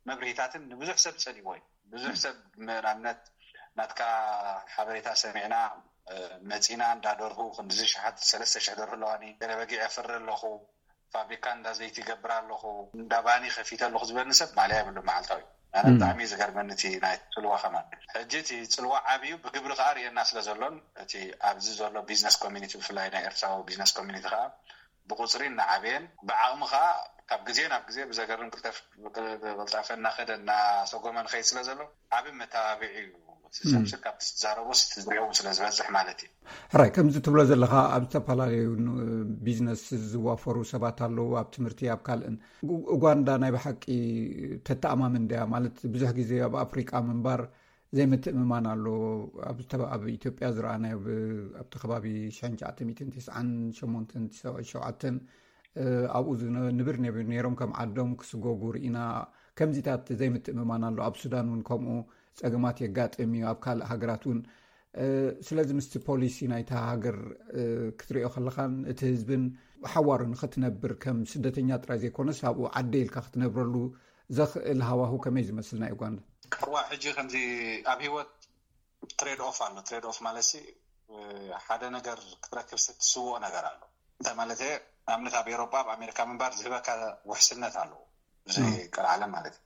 መብርሂታትን ንብዙሕ ሰብ ፀሊዎ እዩ። ብዙሕ ሰብ ንኣብነት ናትካ ሓበሬታ ሰሚዕና መፂና እንዳ ደርሁ ክንዲዚ ሽሓት ሰለስተ ሽሕ ደርሁ ኣለዋኒ ገለ በጊዕ የፍሪ ኣለኹ ፋብሪካ እንዳ ዘይቲ ይገብር ኣለኹ እንዳ ባኒ ከፊተ ኣለኹ ዝበኒ ሰብ ማልያ የብሉ መዓልታዊ ኣነ ብጣዕሚ ዝገርመኒ እቲ ናይ ፅልዋ ከማን ሕጂ እቲ ፅልዋ ዓብዩ ብግብሪ ከዓ ርእየና ስለ ዘሎን እቲ ኣብዚ ዘሎ ቢዝነስ ኮሚኒቲ ብፍላይ ናይ ኤርትራዊ ቢዝነስ ኮሚኒቲ ከዓ ብቁፅሪ እናዓበየን ብዓቕሚ ከዓ ካብ ግዜ ናብ ግዜ ብዘገርም ቅልጠፍ ቅልጣፈ እናኸደ እናሰጎመ ንኸይድ ስለ ዘሎ ዓብ መተባብዒ እዩ። ሰብሲ ካብቲ ትዛረቦ ትዝሪኦም ስለ ዝበዝሕ ማለት እዩ። ሕራይ ከምዚ ትብሎ ዘለኻ ኣብ ዝተፈላለዩ ቢዝነስ ዝዋፈሩ ሰባት ኣለዉ ኣብ ትምህርቲ ኣብ ካልእን ኡጋንዳ ናይ ብሓቂ ተተኣማምን ድያ ማለት ብዙሕ ግዜ ኣብ ኣፍሪቃ ምንባር ዘይምትእምማን ኣሎ ኣብ ኢትዮጵያ ዝረኣናዮ ኣብቲ ከባቢ ሽሕን ትሽዓተ ሚእትን ትስዓን ሸሞንተን ሸውዓተን ኣብኡ ንብር ነይሮም ከም ዓዶም ክስጎጉ ርኢና ከምዚታት ዘይምትእምማን ኣሎ ኣብ ሱዳን እውን ከምኡ ፀገማት የጋጥም እዩ ኣብ ካልእ ሃገራት እውን ስለዚ ምስቲ ፖሊሲ ናይታ ሃገር ክትሪኦ ከለኻን እቲ ህዝብን ሓዋሩ ንክትነብር ከም ስደተኛ ጥራይ ዘይኮነስ ኣብኡ ዓደ ኢልካ ክትነብረሉ ዘኽእል ሃዋሁ ከመይ ዝመስል ናይ ኡጋንዳ? እዋ ሕጂ ከምዚ ኣብ ሂወት ትሬድ ኦፍ ኣሎ። ትሬድ ኦፍ ማለት ሓደ ነገር ክትረክብ ስትስውኦ ነገር ኣሎ። እንታይ ማለት ንኣብነት ኣብ ኤሮጳ ኣብ ኣሜሪካ ምንባር ዝህበካ ውሕስነት ኣለዎ ብዘይ ቀልዓለም ማለት እዩ።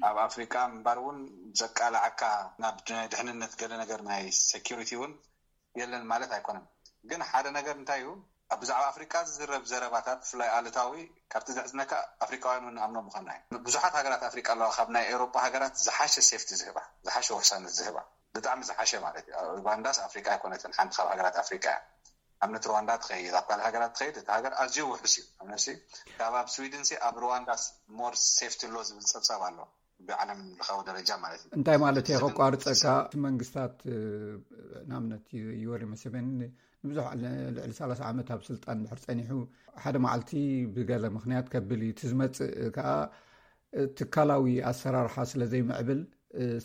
ኣብ ኣፍሪቃ ምንባር እውን ዘቃልዓካ ናብ ናይ ድሕንነት ገለ ነገር ናይ ሴኪሪቲ እውን የለን ማለት ኣይኮነን። ግን ሓደ ነገር እንታይ እዩ ኣብ ብዛዕባ ኣፍሪቃ ዝዝረብ ዘረባታት ብፍላይ ኣሉታዊ ካብቲ ዘሕዝነካ ኣፍሪቃውያን እውን ንኣምኖ ምዃንና እዩ። ብዙሓት ሃገራት ኣፍሪቃ ኣለዋ ካብ ናይ ኤውሮጳ ሃገራት ዝሓሸ ሴፍቲ ዝህባ ዝሓሸ ውሕሰነት ዝህባ ብጣዕሚ ዝሓሸ ማለት እዩ። ኡጋንዳስ ኣፍሪቃ ኣይኮነትን ሓንቲ ካብ ሃገራት ኣፍሪቃ እያ። ኣብነት ሩዋንዳ ትኸይድ ኣብ ካልእ ሃገራት ትኸይድ እቲ ሃገር ኣዝዩ ውሑስ እዩ። ኣብ ነፍሲ ካብ ኣብ ስዊድን ሲ ኣብ ሩዋንዳስ ሞር ሴፍቲ ኣሎ ዝብል ፀብፃብ ኣሎ ብዓለም ለኻዊ ደረጃ ማለት እዩ። እንታይ ማለት እየ ከቋርፀካ እቲ መንግስታት ንኣብነት ዮወሪ መሰበኒ ንብዙሕ ልዕሊ ሰላሳ ዓመት ኣብ ስልጣን ድሕር ፀኒሑ ሓደ መዓልቲ ብገለ ምክንያት ከብል እዩ እቲ ዝመፅእ ከዓ ትካላዊ ኣሰራርሓ ስለ ዘይምዕብል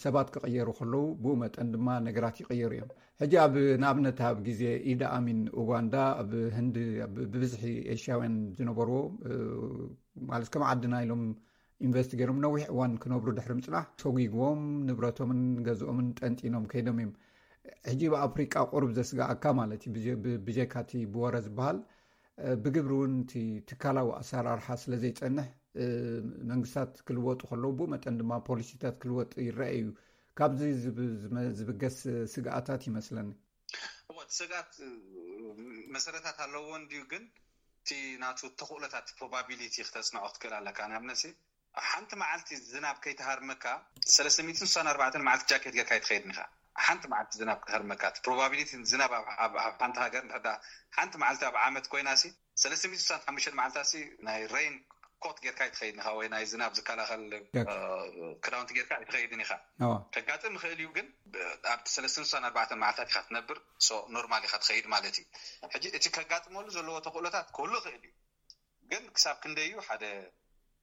ሰባት ክቕየሩ ከለዉ ብኡ መጠን ድማ ነገራት ይቕየሩ እዮም። ሕጂ ኣብ ንኣብነት ኣብ ግዜ ኢድ ኣሚን ኡጋንዳ ኣብ ህንዲ ብብዝሒ ኤሽያውያን ዝነበርዎ ማለት ከም ዓድና ኢሎም ኢንቨስት ገይሮም ነዊሕ እዋን ክነብሩ ድሕሪ ምፅናሕ ሰጒግዎም ንብረቶምን ገዝኦምን ጠንጢኖም ከይዶም እዮም። ሕጂ ብኣፍሪቃ ቁሩብ ዘስግኣካ ማለት እዩ ብጀካቲ ብወረ ዝበሃል ብግብሪ እውን እቲ ትካላዊ ኣሰራርሓ ስለ ዘይፀንሕ መንግስታት ክልወጡ ከለዉ ብኡ መጠን ድማ ፖሊሲታት ክልወጥ ይረአ እዩ። ካብዚ ዝብገስ ስግኣታት ይመስለኒ። እወ እቲ ስግኣት መሰረታት ኣለዎ እንድዩ ግን እቲ ናቱ ተኽእሎታት ፕሮባቢሊቲ ክተፅንዖ ክትክእል ኣለካ። ንኣብነት ሓንቲ መዓልቲ ዝናብ ከይተሃርመካ ሰለስተ ሚእትን ስሳን ኣርባዕተን መዓልቲ ጃኬት ጌርካ ኣይትኸይድን ኢኻ። ሓንቲ መዓልቲ ዝናብ ክሃርመካ እቲ ፕሮባቢሊቲ ዝናብ ኣብ ሓንቲ ሃገር እንድሕር ሓንቲ መዓልቲ ኣብ ዓመት ኮይና ሲ ሰለስተ ሚእትን ስሳን ሓሙሽተን መዓልታ ሲ ናይ ሬን ኮት ጌርካ ኣይትኸይድን ኢኻ ወይ ናይ ዝናብ ዝከላኸል ክዳውንቲ ጌርካ ኣይትኸይድን ኢኻ። ከጋጥም ይኽእል እዩ ግን ኣብቲ ሰለስተ ሚእትን ስሳን ኣርባዕተን መዓልታት ኢኻ ትነብር። ኖርማል ኢኻ ትኸይድ ማለት እዩ። ሕጂ እቲ ከጋጥመሉ ዘለዎ ተኽእሎታት ክህሉ ይኽእል እዩ ግን ክሳብ ክንደይ እዩ ሓደ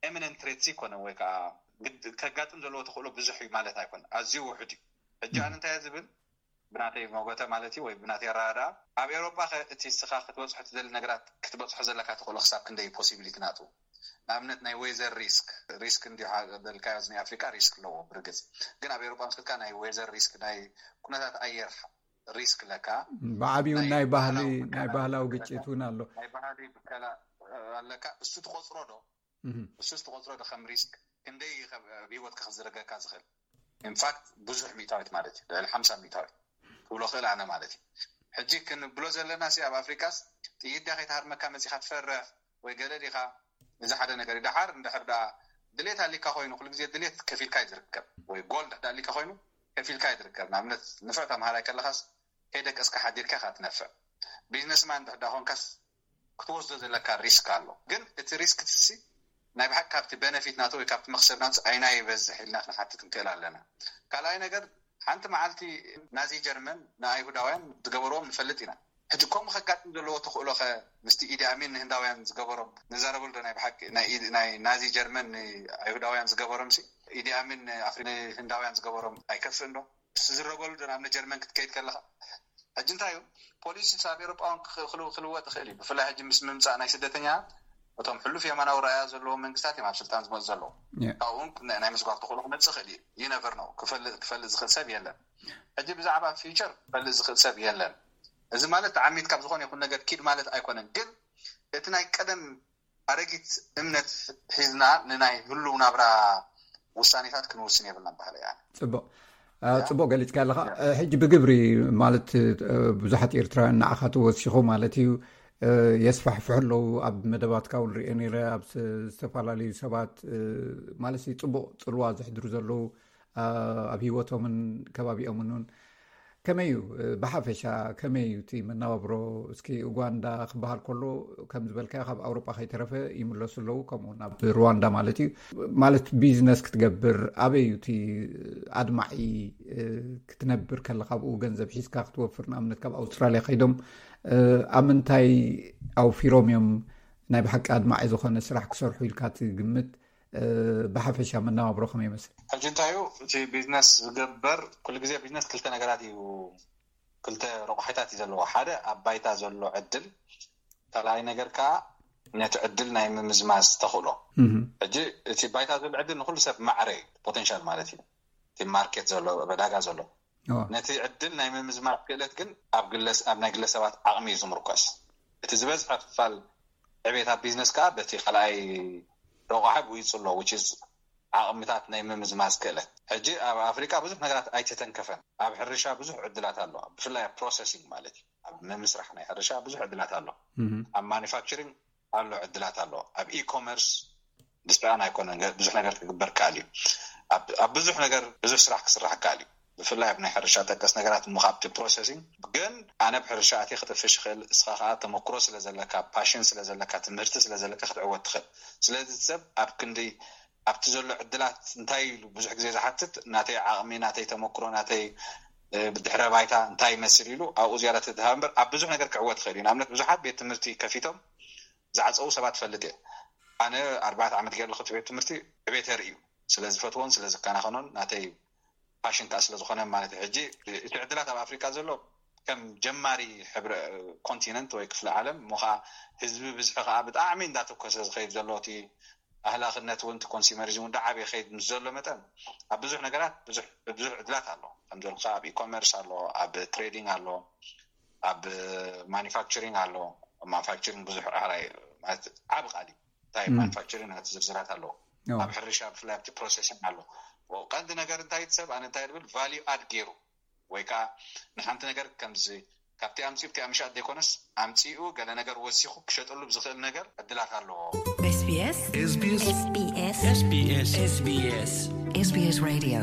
ኤሚነንት ትሬት ዘይኮነ ወይ ከዓ ከጋጥም ዘለዎ ተኽእሎ ብዙሕ እዩ ማለት ኣይኮነ ኣዝዩ ውሑድ እዩ። ሕጂ ኣነ እንታይ ዝብል ብናተይ መጎተ ማለት እዩ ወይ ብናተይ ኣረዳድኣ ኣብ ኤውሮጳ ከ እቲ እስኻ ክትበፅሖ ትደሊ ነገራት ክትበፅሖ ዘለካ ተኽእሎ ክሳብ ክንደይ እዩ ፖሲቢሊቲ ናቱ ንኣብነት ናይ ዌዘር ሪስክ ሪስክ እንዲሁ በልካዮ ናይ ኣፍሪቃ ሪስክ ኣለዎ ብርግፅ ግን ኣብ ኤውሮጳ ምስ ከድካ ናይ ዌዘር ሪስክ ናይ ኩነታት ኣየር ሪስክ ኣለካ። ብዓብዩ ናይ ባህሊ ናይ ባህላዊ ግጭት እውን ኣሎ። ናይ ባህሊ ብከላ ኣለካ። እሱ ትቆፅሮ ዶ እሱ ትቆፅሮ ዶ ከም ሪስክ? ክንደይ ኣብ ህይወትካ ክዝረገካ ዝኽእል? ኢንፋክት ብዙሕ ሚእታዊት ማለት እዩ፣ ልዕሊ ሓምሳ ሚእታዊት ክብሎ ክእል ኣነ ማለት እዩ። ሕጂ ክንብሎ ዘለና ሲ ኣብ ኣፍሪቃስ ጥይት ድያ ከይትሃርመካ መፂኻ ትፈርሕ ወይ ገለ ዲኻ? እዚ ሓደ ነገር እዩ። ደሓር እንድሕር ደኣ ድሌት ኣሊካ ኮይኑ፣ ኩሉ ግዜ ድሌት ከፊልካ እዩ ዝርከብ፣ ወይ ጎል ድሕዳ ኣሊካ ኮይኑ ከፊልካ እዩ ዝርከብ። ንኣብነት ንፍዕ ተምሃራይ ከለኻስ ከይደቀስካ ሓዲርካ ኢኻ ትነፍዕ። ቢዝነስማን ድሕዳ ኮንካስ ክትወስዶ ዘለካ ሪስክ ኣሎ። ግን እቲ ሪስክ ትሲ ናይ ብሓቂ ካብቲ በነፊት ናቱ ወይ ካብቲ መክሰብ ናቱ ኣይና ይበዝሕ ኢልና ክንሓትት ንክእል ኣለና። ካልኣይ ነገር፣ ሓንቲ መዓልቲ ናዚ ጀርመን ንኣይሁዳውያን ዝገበርዎም ንፈልጥ ኢና። ሕጂ ከምኡ ከጋጥም ዘለዎ ተኽእሎ ኸ ምስቲ ኢዲ ኣሚን ንህንዳውያን ዝገበሮም ንዛረበሉ ዶ? ናይ ብሓቂ ናይ ኢድ- ናይ ናዚ ጀርመን ንኣይሁዳውያን ዝገበሮም ሲ ኢዲ ኣሚን ንኣፍሪ ንህንዳውያን ዝገበሮም ኣይከፍእን ዶ? ዝረበሉ ዶ? ናብ ንጀርመን ክትከይድ ከለኻ ሕጂ እንታይ እዩ ፖሊሲ ኣብ ኤሮጳውን ክልወጥ ይኽእል እዩ። ብፍላይ ሕጂ ምስ ምምፃእ ናይ ስደተኛታት እቶም ሕሉፍ የማናዊ ረኣያ ዘለዎም መንግስታት እዮም ኣብ ስልጣን ዝመፁ ዘለዉ። ካብኡ እውን ናይ ምስጓግ ተኽእሎ ክመፅእ ይኽእል እዩ። ይነቨር ነው። ክፈልጥ ዝኽእል ሰብ የለን። ሕጂ ብዛዕባ ፊውቸር ክፈልጥ ዝኽእል ሰብ የለን። እዚ ማለት ተዓሚት ካብ ዝኾነ ይኹን ነገር ኪድ ማለት ኣይኮነን። ግን እቲ ናይ ቀደም ኣረጊት እምነት ሒዝና ንናይ ህሉው ናብራ ውሳኔታት ክንውስን የብልናን ባህለ እያ። ፅቡቅ። ፅቡቅ ገሊፅካ ኣለካ። ሕጂ ብግብሪ ማለት ብዙሓት ኤርትራውያን ንዓኻ ተወሲኹ ማለት እዩ የስፋሕፍሑ ኣለዉ። ኣብ መደባትካ እውን ሪኦ ነይረ። ኣብ ዝተፈላለዩ ሰባት ማለት ፅቡቅ ፅልዋ ዘሕድሩ ዘለዉ ኣብ ህይወቶምን ከባቢኦምን እውን ከመይ እዩ? ብሓፈሻ ከመይ እዩ እቲ መነባብሮ? እስኪ ኡጋንዳ ክበሃል ከሎ ከም ዝበልካዮ ካብ ኣውሮጳ ከይተረፈ ይምለሱ ኣለዉ፣ ከምኡ ናብ ሩዋንዳ ማለት እዩ። ማለት ቢዝነስ ክትገብር ኣበይ እዩ እቲ ኣድማዒ? ክትነብር ከለካ ኣብኡ ገንዘብ ሒዝካ ክትወፍር ንኣብነት ካብ ኣውስትራሊያ ከይዶም ኣብ ምንታይ ኣውፊሮም እዮም ናይ ብሓቂ ኣድማዒ ዝኾነ ስራሕ ክሰርሑ ኢልካ ትግምት? ብሓፈሻ መነባብሮ ከመይ ይመስል? ሕጂ እንታይ እዩ እቲ ቢዝነስ ዝገበር? ኩሉ ግዜ ቢዝነስ ክልተ ነገራት እዩ፣ ክልተ ረቑሒታት እዩ ዘለዎ። ሓደ ኣብ ባይታ ዘሎ ዕድል፣ ካልኣይ ነገር ከዓ ነቲ ዕድል ናይ ምምዝማዝ ተኽእሎ። ሕጂ እቲ ባይታ ዘሎ ዕድል ንኩሉ ሰብ ማዕረ እዩ፣ ፖቴንሻል ማለት እዩ። እቲ ማርኬት ዘሎ ዕዳጋ ዘሎ ነቲ ዕድል ናይ ምምዝማዝ ክእለት ግን ኣብ ናይ ግለሰባት ዓቕሚ እዩ ዝምርኮስ። እቲ ዝበዝሐ ክፋል ዕቤት ኣብ ቢዝነስ ከዓ በቲ ካልኣይ ረቑሓ ብኡ ይፅሎ፣ which is ዓቕምታት ናይ ምምዝማዝ ክእለት። ሕጂ ኣብ ኣፍሪቃ ብዙሕ ነገራት ኣይተተንከፈን። ኣብ ሕርሻ ብዙሕ ዕድላት ኣሎ፣ ብፍላይ ኣብ ፕሮሰሲንግ ማለት እዩ። ኣብ ምምስራሕ ናይ ሕርሻ ብዙሕ ዕድላት ኣሎ። ኣብ ማኒፋክቸሪንግ ኣሎ ዕድላት ኣሎ። ኣብ ኢኮመርስ ብስኣን ኣይኮነን ብዙሕ ነገር ክግበር ከኣል እዩ። ኣብ ብዙሕ ነገር ብዙሕ ስራሕ ክስራሕ ከኣል እዩ። ብፍላይ ኣብ ናይ ሕርሻ ጠቀስ ነገራት እሞ ካብቲ ፕሮሰሲንግ ግን ኣነ ብሕርሻ ኣትየ ክጥፍሽ ይኽእል። እስኻ ከዓ ተመክሮ ስለ ዘለካ፣ ፓሽን ስለ ዘለካ፣ ትምህርቲ ስለ ዘለካ ክትዕወት ትኽእል። ስለዚ ሰብ ኣብ ክንዲ ኣብቲ ዘሎ ዕድላት እንታይ ኢሉ ብዙሕ ግዜ ዝሓትት ናተይ ዓቕሚ፣ ናተይ ተመክሮ፣ ናተይ ድሕረ ባይታ እንታይ ይመስል ኢሉ ኣብኡ ዝያዳ ተድሃብ እምበር ኣብ ብዙሕ ነገር ክዕወት ይኽእል እዩ። ንኣብነት ብዙሓት ቤት ትምህርቲ ከፊቶም ዝዓፀዉ ሰባት ፈልጥ እየ። ኣነ ኣርባዕተ ዓመት ገይረ ኣለኹ እቲ ቤት ትምህርቲ ዕቤት የርኢ እዩ። ስለ ዝፈትዎን ስለ ዝከናኸኖን ናተይ ፓሽን ከዓ ስለ ዝኾነ ማለት እዩ። ሕጂ እቲ ዕድላት ኣብ ኣፍሪቃ ዘሎ ከም ጀማሪ ሕብረ ኮንቲነንት ወይ ክፍለ ዓለም እሞ ከዓ ህዝቢ ብዝሒ ከዓ ብጣዕሚ እንዳተኮሰ ዝኸይድ ዘሎ እቲ ኣህላኽነት እውን እቲ ኮንሱመሪዝም እውን ዳዓበየ ከይድ ምስ ዘሎ መጠን ኣብ ብዙሕ ነገራት ብዙሕ ብዙሕ ዕድላት ኣሎ። ከም ዘልካ ኣብ ኢኮመርስ ኣሎ፣ ኣብ ትሬዲንግ ኣሎ፣ ኣብ ማኒፋክቸሪንግ ኣሎ። ማኒፋክቸሪንግ ብዙሕ ራህራይ ማለት ዓቢ ቃል እዩ። እንታይ ማኒፋክቸሪንግ ናቲ ዝርዝራት ኣለዎ። ኣብ ሕርሻ ብፍላይ ኣብቲ ፕሮሰሲንግ ኣሎ። ቀንዲ ነገር እንታይ እቲ ሰብ ኣነ እንታይ ዝብል ቫልዩ ኣድ ገይሩ ወይ ከዓ ንሓንቲ ነገር ከምዚ ካብቲ ኣምፂኡ ብቲ ኣምሻጥ ዘይኮነስ ኣምፂኡ ገለ ነገር ወሲኹ ክሸጠሉ ብዝኽእል ነገር ዕድላት ኣለዎ። SBS SBS SBS SBS SBS Radio።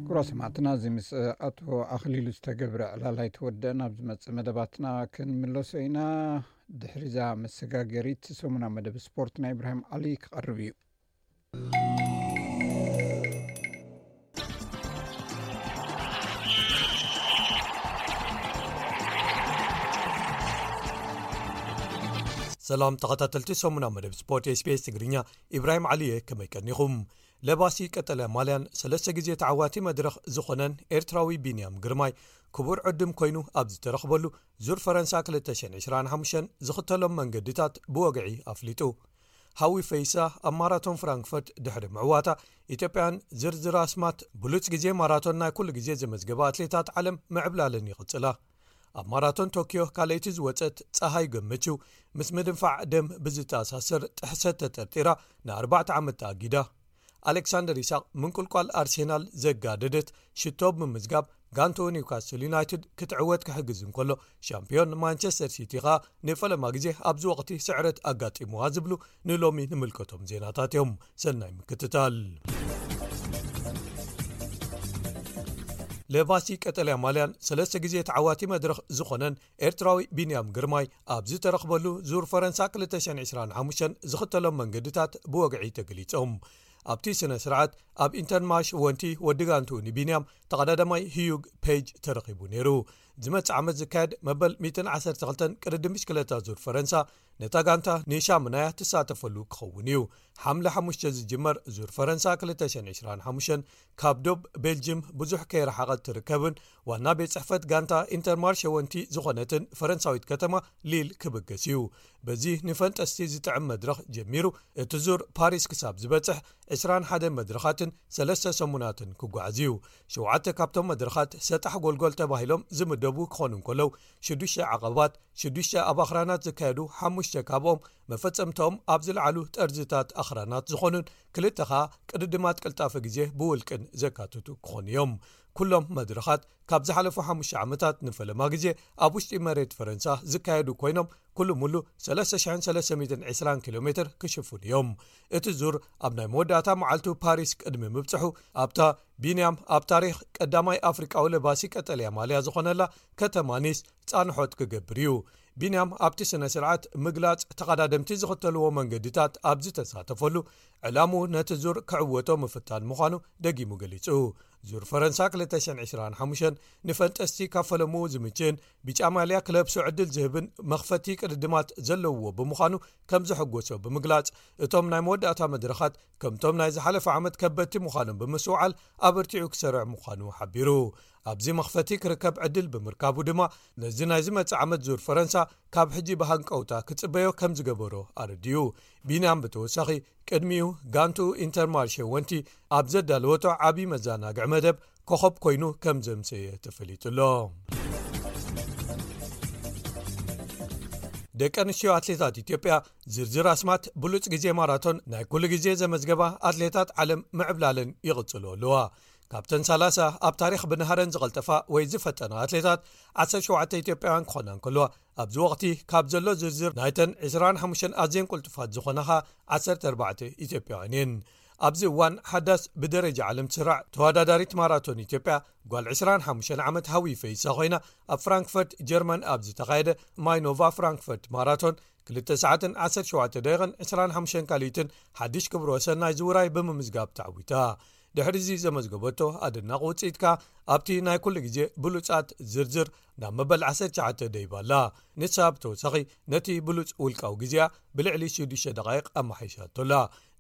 ክቡራት ሰማዕትና፣ እዚ ምስ ኣቶ ኣኽሊሉ ዝተገብረ ዕላል ኣይተወደአን። ኣብ ዝመጽእ መደባትና ክንምለሶ ኢና። ድሕሪዛ መሰጋገሪት ሰሙናዊ መደብ ስፖርት ናይ ኢብራሂም ዓሊ ክቐርብ እዩ። ሰላም ተኸታተልቲ ሰሙናዊ መደብ ስፖርት SBS ትግርኛ፣ ኢብራሂም ዓሊ እየ። ከመይ ቀኒኹም? ለባሲ ቀጠልያ ማልያን ሰለስተ ግዜ ተዓዋቲ መድረኽ ዝኾነን ኤርትራዊ ቢንያም ግርማይ ክቡር ዕድም ኮይኑ ኣብ ዝተረኽበሉ ዙር ፈረንሳ ክልተ ሽሕን ዕስራን ሓሙሽተን ዝኽተሎም መንገድታት ብወግዒ ኣፍሊጡ። ሃዊ ፈይሳ ኣብ ማራቶን ፍራንክፈርት ድሕሪ ምዕዋታ፣ ኢትዮጵያን ዝርዝር ኣስማት ብሉጽ ግዜ ማራቶን ናይ ኩሉ ግዜ ዘመዝገባ ኣትሌታት ዓለም ምዕብላለን ይቕጽላ። ኣብ ማራቶን ቶኪዮ ካልኣይቲ ዝወጸት ጸሃይ ገመቹ፣ ምስ ምድንፋዕ ደም ብዝተኣሳሰር ጥሕሰት ተጠርጢራ ንኣርባዕተ ዓመት ተኣጊዳ። ኣሌክሳንደር ይስሐቅ ምንቁልቋል ኣርሴናል ዘጋደደት ሽቶ ብምምዝጋብ ጋንትኡ ኒውካስል ዩናይትድ ክትዕወት ክሕግዝ እንከሎ፣ ሻምፒዮን ማንቸስተር ሲቲ ኸኣ ንፈለማ ግዜ ኣብዚ ወቕቲ ስዕረት ኣጋጢምዋ ዝብሉ ንሎሚ ንምልከቶም ዜናታት እዮም። ሰናይ ምክትታል። ለባሲ ቀጠልያ ማልያን ሰለስተ ግዜ ተዓዋቲ መድረኽ ዝኾነን ኤርትራዊ ቢንያም ግርማይ ኣብ ዝተረኽበሉ ዙር ፈረንሳ ክልተ ሽሕን ዕስራን ሓሙሽተን ዝኽተሎም መንገድታት ብወግዒ ተገሊጾም። ኣብቲ ስነ ስርዓት ኣብ ኢንተርማርሽ ወንቲ ወዲ ጋንትኡ ንቢንያም ተቐዳዳማይ ህዩግ ፔጅ ተረኺቡ ነይሩ። ዝመጽእ ዓመት ዝካየድ መበል ሚእትን ዓሰርተ ክልተን ቅድድም ብሽክለታ ዙር ፈረንሳ ነታ ጋንታ ንሻምናያ ትሳተፈሉ ክኸውን እዩ። ሓምለ ሓሙሽተ ዝጅመር ዙር ፈረንሳ ክልተ ሽሕን ዕስራን ሓሙሽተን ካብ ዶብ ቤልጅም ብዙሕ ከይረሓቐት ትርከብን ዋና ቤት ጽሕፈት ጋንታ ኢንተርማርሽ ወንቲ ዝኾነትን ፈረንሳዊት ከተማ ሊል ክብገስ እዩ። በዚ ንፈንጠስቲ ዝጥዕም መድረኽ ጀሚሩ፣ እቲ ዙር ፓሪስ ክሳብ ዝበጽሕ ዕስራን ሓደን መድረኻትን ሰለስተ ሰሙናትን ክጓዓዝ እዩ። ሸውዓተ ካብቶም መድረኻት ሰጣሕ ጎልጎል ተባሂሎም ዝምደቡ ክኾኑ እንከለዉ፣ ሽዱሽተ ዓቐባት፣ ሽዱሽተ ኣብ ኣኽራናት ዝካየዱ፣ ሓሙሽተ ካብኦም መፈጸምታኦም ኣብ ዝለዓሉ ጠርዝታት ኣኽራናት ዝኾኑን ክልተ ኸኣ ቅድድማት ቅልጣፈ ግዜ ብውልቅን ዘካትቱ ክኾኑ እዮም። ኩሎም መድረኻት ካብ ዝሓለፉ ሓሙሽተ ዓመታት ንፈለማ ግዜ ኣብ ውሽጢ መሬት ፈረንሳ ዝካየዱ ኮይኖም፣ ኩሉ ሙሉ ሰለስተ ሽሕን ሰለስተ ሚእትን ዕስራን ኪሎ ሜትር ክሽፍኑ እዮም። እቲ ዙር ኣብ ናይ መወዳእታ መዓልቱ ፓሪስ ቅድሚ ምብጽሑ፣ ኣብታ ቢንያም ኣብ ታሪኽ ቀዳማይ ኣፍሪቃዊ ለባሲ ቀጠልያ ማልያ ዝኾነላ ከተማ ኒስ ጻንሖት ክገብር እዩ። ቢንያም ኣብቲ ስነ ስርዓት ምግላጽ ተቐዳደምቲ ዝኽተልዎ መንገድታት ኣብ ዝተሳተፈሉ፣ ዕላምኡ ነቲ ዙር ክዕወቶ ምፍታን ምዃኑ ደጊሙ ገሊጹ። ዙር ፈረንሳ ክልተ ሽሕን ዕስራን ሓሙሽተን ንፈንጠስቲ ካብ ፈለምኡ ዝምችእን ብጫ ማልያ ክለብሶ ዕድል ዝህብን መኽፈቲ ቅድድማት ዘለውዎ ብምዃኑ ከም ዘሐጎሶ ብምግላጽ፣ እቶም ናይ መወዳእታ መድረኻት ከምቶም ናይ ዝሓለፈ ዓመት ከበድቲ ምዃኖም ብምስትውዓል ኣበርቲዑ ክሰርዕ ምዃኑ ሓቢሩ። ኣብዚ መኽፈቲ ክርከብ ዕድል ብምርካቡ ድማ ነዚ ናይ ዝመጽእ ዓመት ዙር ፈረንሳ ካብ ሕጂ ብሃንቀውታ ክጽበዮ ከም ዝገበሮ ኣረዲኡ። ቢንያም ብተወሳኺ ቅድሚኡ ጋንትኡ ኢንተርማርሼ ወንቲ ኣብ ዘዳለወቶ ዓቢ መዘናግዒ መደብ ኮኸብ ኮይኑ ከም ዘምሰየ ተፈሊጡ ኣሎ። ደቂ ኣንስትዮ ኣትሌታት ኢትዮጵያ ዝርዝር ኣስማት ብሉጽ ግዜ ማራቶን ናይ ኩሉ ግዜ ዘመዝገባ ኣትሌታት ዓለም ምዕብላለን ይቕጽሉ ኣለዋ። ካብተን ሰላሳ ኣብ ታሪኽ ብናህረን ዝቐልጠፋ ወይ ዝፈጠና ኣትሌታት፣ ዓሰርተ ሸውዓተ ኢትዮጵያውያን ክኾና እንከለዋ፣ ኣብዚ ወቕቲ ካብ ዘሎ ዝርዝር ናይተን ዕስራን ሓሙሽተን ኣዝየን ቅልጡፋት ዝኾና ኸኣ ዓሰርተ ኣርባዕተ ኢትዮጵያውያን እየን። ኣብዚ እዋን ሓዳስ ብደረጃ ዓለም ትስራዕ ተወዳዳሪት ማራቶን ኢትዮጵያ ጓል ዕስራን ሓሙሽተን ዓመት ሃዊ ፈይሳ ኮይና፣ ኣብ ፍራንክፈርት ጀርመን ኣብ ዝተኻየደ ማይኖቫ ፍራንክፈርት ማራቶን ክልተ ሰዓትን ዓሰርተ ሸውዓተ ደቂቕን ዕስራን ሓሙሽተን ካልኢትን ሓድሽ ክብረ ወሰን ናይዚ ውራይ ብምምዝጋብ ተዓዊታ። ድሕሪ እዚ ዘመዝገበቶ ኣደናቒ ውጽኢት ከኣ ኣብቲ ናይ ኩሉ ግዜ ብሉጻት ዝርዝር ናብ መበል ዓሰርተ ትሽዓተ ደይባ ኣላ። ንሳ ብተወሳኺ ነቲ ብሉጽ ውልቃዊ ግዜኣ ብልዕሊ ሽዱሽተ ደቓይቕ ኣመሓይሻቶ ኣላ።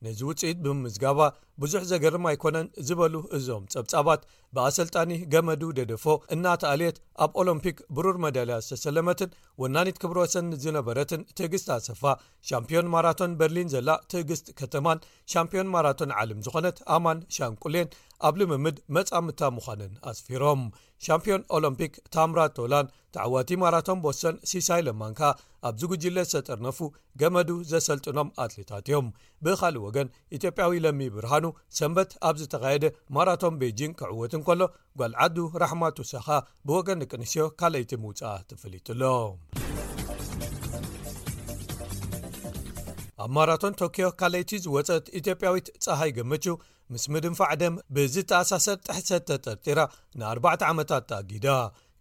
ነዚ ውጽኢት ብምምዝጋባ ብዙሕ ዘገርም ኣይኮነን ዝበሉ እዞም ጸብጻባት፣ ብኣሰልጣኒ ገመዱ ደደፎ እናተኣልየት ኣብ ኦሎምፒክ ብሩር መዳልያ ዝተሰለመትን ወናኒት ክብረ ወሰን ዝነበረትን ትዕግስት ኣሰፋ፣ ሻምፒዮን ማራቶን በርሊን ዘላ ትዕግስት ከተማን ሻምፒዮን ማራቶን ዓለም ዝኾነት ኣማን ሻንቁሌን ኣብ ልምምድ መጻምድታ ምዃነን ኣስፊሮም። ሻምፒዮን ኦሎምፒክ ታምራት ቶላን ተዓዋቲ ማራቶን ቦስተን ሲሳይ ለማን ከኣ ኣብዚ ጉጅለ ዝተጠርነፉ ገመዱ ዘሰልጥኖም ኣትሌታት እዮም። ብኻልእ ወገን፣ ኢትዮጵያዊ ለሚ ብርሃኑ ሰንበት ኣብ ዝተኻየደ ማራቶን ቤጂንግ ክዕወት እንከሎ፣ ጓል ዓዱ ራሕማ ቱሳ ከኣ ብወገን ደቂ ኣንስትዮ ካልኣይቲ ምውጻኣ ተፈሊጡ ኣሎ። ኣብ ማራቶን ቶኪዮ ካልኣይቲ ዝወጸት ኢትዮጵያዊት ጸሃይ ገመቹ፣ ምስ ምድንፋዕ ደም ብዝተኣሳሰር ጥሕሰት ተጠርጢራ ንኣርባዕተ ዓመታት ተኣጊዳ።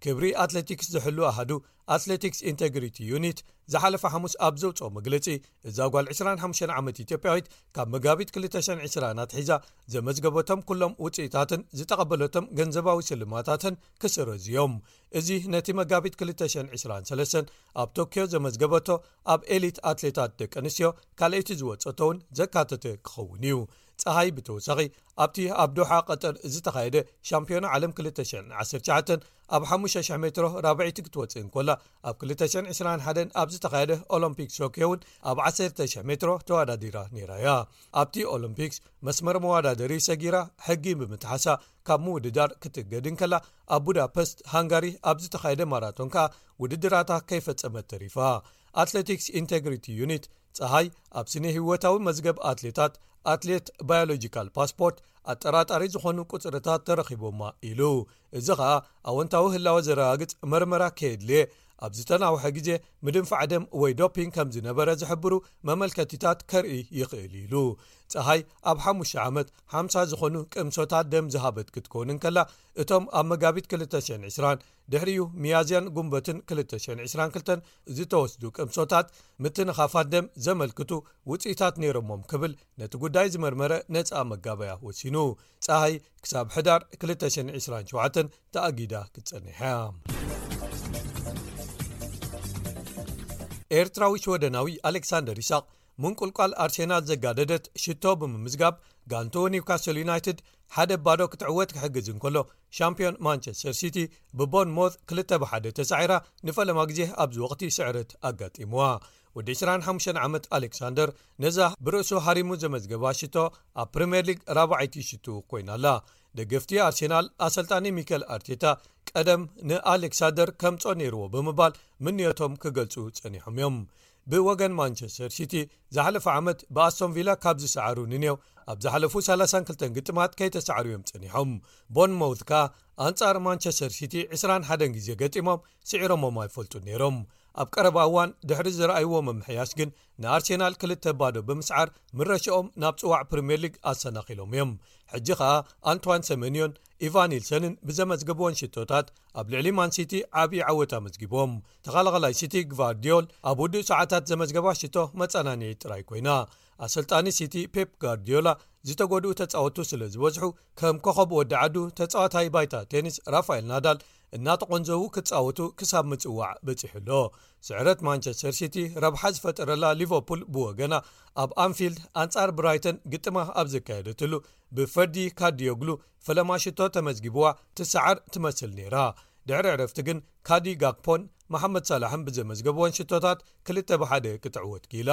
ክብሪ ኣትሌቲክስ ዝሕሉ ኣሃዱ፣ ኣትሌቲክስ ኢንተግሪቲ ዩኒት፣ ዝሓለፈ ሓሙስ ኣብ ዘውጽኦ መግለጺ፣ እዛ ጓል ዕስራን ሓሙሽተን ዓመት ኢትዮጵያዊት ካብ መጋቢት ክልተ ሽሕን ዕስራን ኣትሒዛ ዘመዝገበቶም ኩሎም ውጽኢታትን ዝተቐበለቶም ገንዘባዊ ስልማታትን ክስረዙ እዮም። እዚ ነቲ መጋቢት ክልተ ሽሕን ዕስራን ሰለስተን ኣብ ቶክዮ ዘመዝገበቶ ኣብ ኤሊት ኣትሌታት ደቂ ኣንስትዮ ካልኣይቲ ዝወጸቶ እውን ዘካተተ ክኸውን እዩ። ጸሃይ ብተወሳኺ ኣብቲ ኣብ ዶሓ ቀጠር ዝተኻየደ ሻምፒዮና ዓለም ክልተ ሽሕን ዓሰርተ ትሽዓተን ኣብ ሓሙሽተ ሽሕ ሜትሮ ራብዐይቲ ክትወጽእ እንከላ፣ ኣብ ክልተ ሽሕን ዕስራን ሓደን ኣብ ዝተኻየደ ኦሎምፒክስ ቶክዮ እውን ኣብ ዓሰርተ ሽሕ ሜትሮ ተወዳዲራ ነይራ እያ። ኣብቲ ኦሎምፒክስ መስመር መወዳደሪ ሰጊራ ሕጊ ብምጥሓሳ ካብ ምውድዳር ክትእገድ እንከላ፣ ኣብ ቡዳፐስት ሃንጋሪ ኣብ ዝተኻየደ ማራቶን ከኣ ውድድራታ ከይፈጸመት ተሪፋ። ኣትሌቲክስ ኢንቴግሪቲ ዩኒት ጸሃይ ኣብ ስነ ህይወታዊ መዝገብ ኣትሌታት ኣትሌት ባዮሎጂካል ፓስፖርት ኣጠራጣሪ ዝኾኑ ቁጽርታት ተረኺቦማ ኢሉ። እዚ ኸኣ ኣወንታዊ ህላወ ዘረጋግጽ መርመራ ከየድልየ ኣብ ዝተናውሐ ግዜ ምድንፋዕ ደም ወይ ዶፒንግ ከም ዝነበረ ዝሕብሩ መመልከቲታት ከርኢ ይኽእል ኢሉ። ጸሃይ ኣብ ሓሙሽተ ዓመት ሓምሳ ዝኾኑ ቅምሶታት ደም ዝሃበት ክትከውን እንከላ፣ እቶም ኣብ መጋቢት ክልተ ሽሕን ዕስራን ድሕሪኡ ሚያዝያን ጉንበትን ክልተ ሽሕን ዕስራን ክልተን ዝተወስዱ ቅምሶታት ምትንኻፋት ደም ዘመልክቱ ውጽኢታት ነይሮሞም ክብል ነቲ ጉዳይ ዝመርመረ ነጻ መጋበያ ወሲኑ። ጸሃይ ክሳብ ሕዳር ክልተ ሽሕን ዕስራን ሸውዓተን ተኣጊዳ ክትጸንሕ እያ። ኤርትራዊ ሽወደናዊ ኣሌክሳንደር ይስሐቅ ምንቁልቋል ኣርሴናል ዘጋደደት ሽቶ ብምምዝጋብ ጋንትኡ ኒውካስል ዩናይትድ ሓደ ባዶ ክትዕወት ክሕግዝ እንከሎ፣ ሻምፒዮን ማንቸስተር ሲቲ ብቦርንሞዝ ክልተ ብሓደ ተሳዒራ ንፈለማ ግዜ ኣብዚ ወቕቲ ስዕረት ኣጋጢምዋ። ወዲ ዕስራን ሓሙሽተን ዓመት ኣሌክሳንደር ነዛ ብርእሱ ሃሪሙ ዘመዝገባ ሽቶ ኣብ ፕሪምየር ሊግ ራብዓይቲ ሽቱ ኮይና ኣላ። ደገፍቲ ኣርሴናል ኣሰልጣኒ ሚከል ኣርቴታ ቀደም ንኣሌክሳንደር ከምጾ ነይርዎ ብምባል ምንዮቶም ክገልጹ ጸኒሖም እዮም። ብወገን ማንቸስተር ሲቲ ዝሓለፈ ዓመት ብኣስቶን ቪላ ካብ ዝሰዓሩ ንኔው ኣብ ዝሓለፉ ሰላሳን ክልተን ግጥማት ከይተሳዕሩ እዮም ጸኒሖም። ቦርንሞውዝ ከኣ ኣንጻር ማንቸስተር ሲቲ ዕስራን ሓደን ግዜ ገጢሞም ስዒሮሞም ኣይፈልጡን ነይሮም። ኣብ ቀረባ እዋን ድሕሪ ዝረኣይዎ ምምሕያሽ ግን ንኣርሴናል ክልተ ባዶ ብምስዓር ምረሽኦም ናብ ጽዋዕ ፕሪምየር ሊግ ኣሰናኺሎም እዮም። ሕጂ ኸኣ ኣንቷን ሰመንዮን ኢቫን ኒልሰንን ብዘመዝገብወን ሽቶታት ኣብ ልዕሊ ማንሲቲ ዓብዪ ዓወት ኣመዝጊቦም። ተኸላኸላይ ሲቲ ግቫርዲዮል ኣብ ውዱእ ሰዓታት ዘመዝገባ ሽቶ መጸናንዒ ጥራይ ኮይና። ኣሰልጣኒ ሲቲ ፔፕ ጋርዲዮላ ዝተጎድኡ ተጻወቱ ስለ ዝበዝሑ ከም ኮኸብ ወዲ ዓዱ ተጻዋታይ ባይታ ቴኒስ ራፋኤል ናዳል እናተቖንዘዉ ክጻወቱ ክሳብ ምጽዋዕ በጺሑ ኣሎ። ስዕረት ማንቸስተር ሲቲ ረብሓ ዝፈጠረላ ሊቨርፑል ብወገና ኣብ ኣንፊልድ ኣንጻር ብራይተን ግጥማ ኣብ ዘካየደትሉ ብፈርዲ ካርዲዮግሉ ፈለማ ሽቶ ተመዝጊብዋ ትሰዓር ትመስል ነይራ። ድሕሪ ዕረፍቲ ግን ካዲ ጋክፖን መሓመድ ሳላሕን ብዘመዝገብወን ሽቶታት ክልተ ብሓደ ክትዕወት ክኢላ።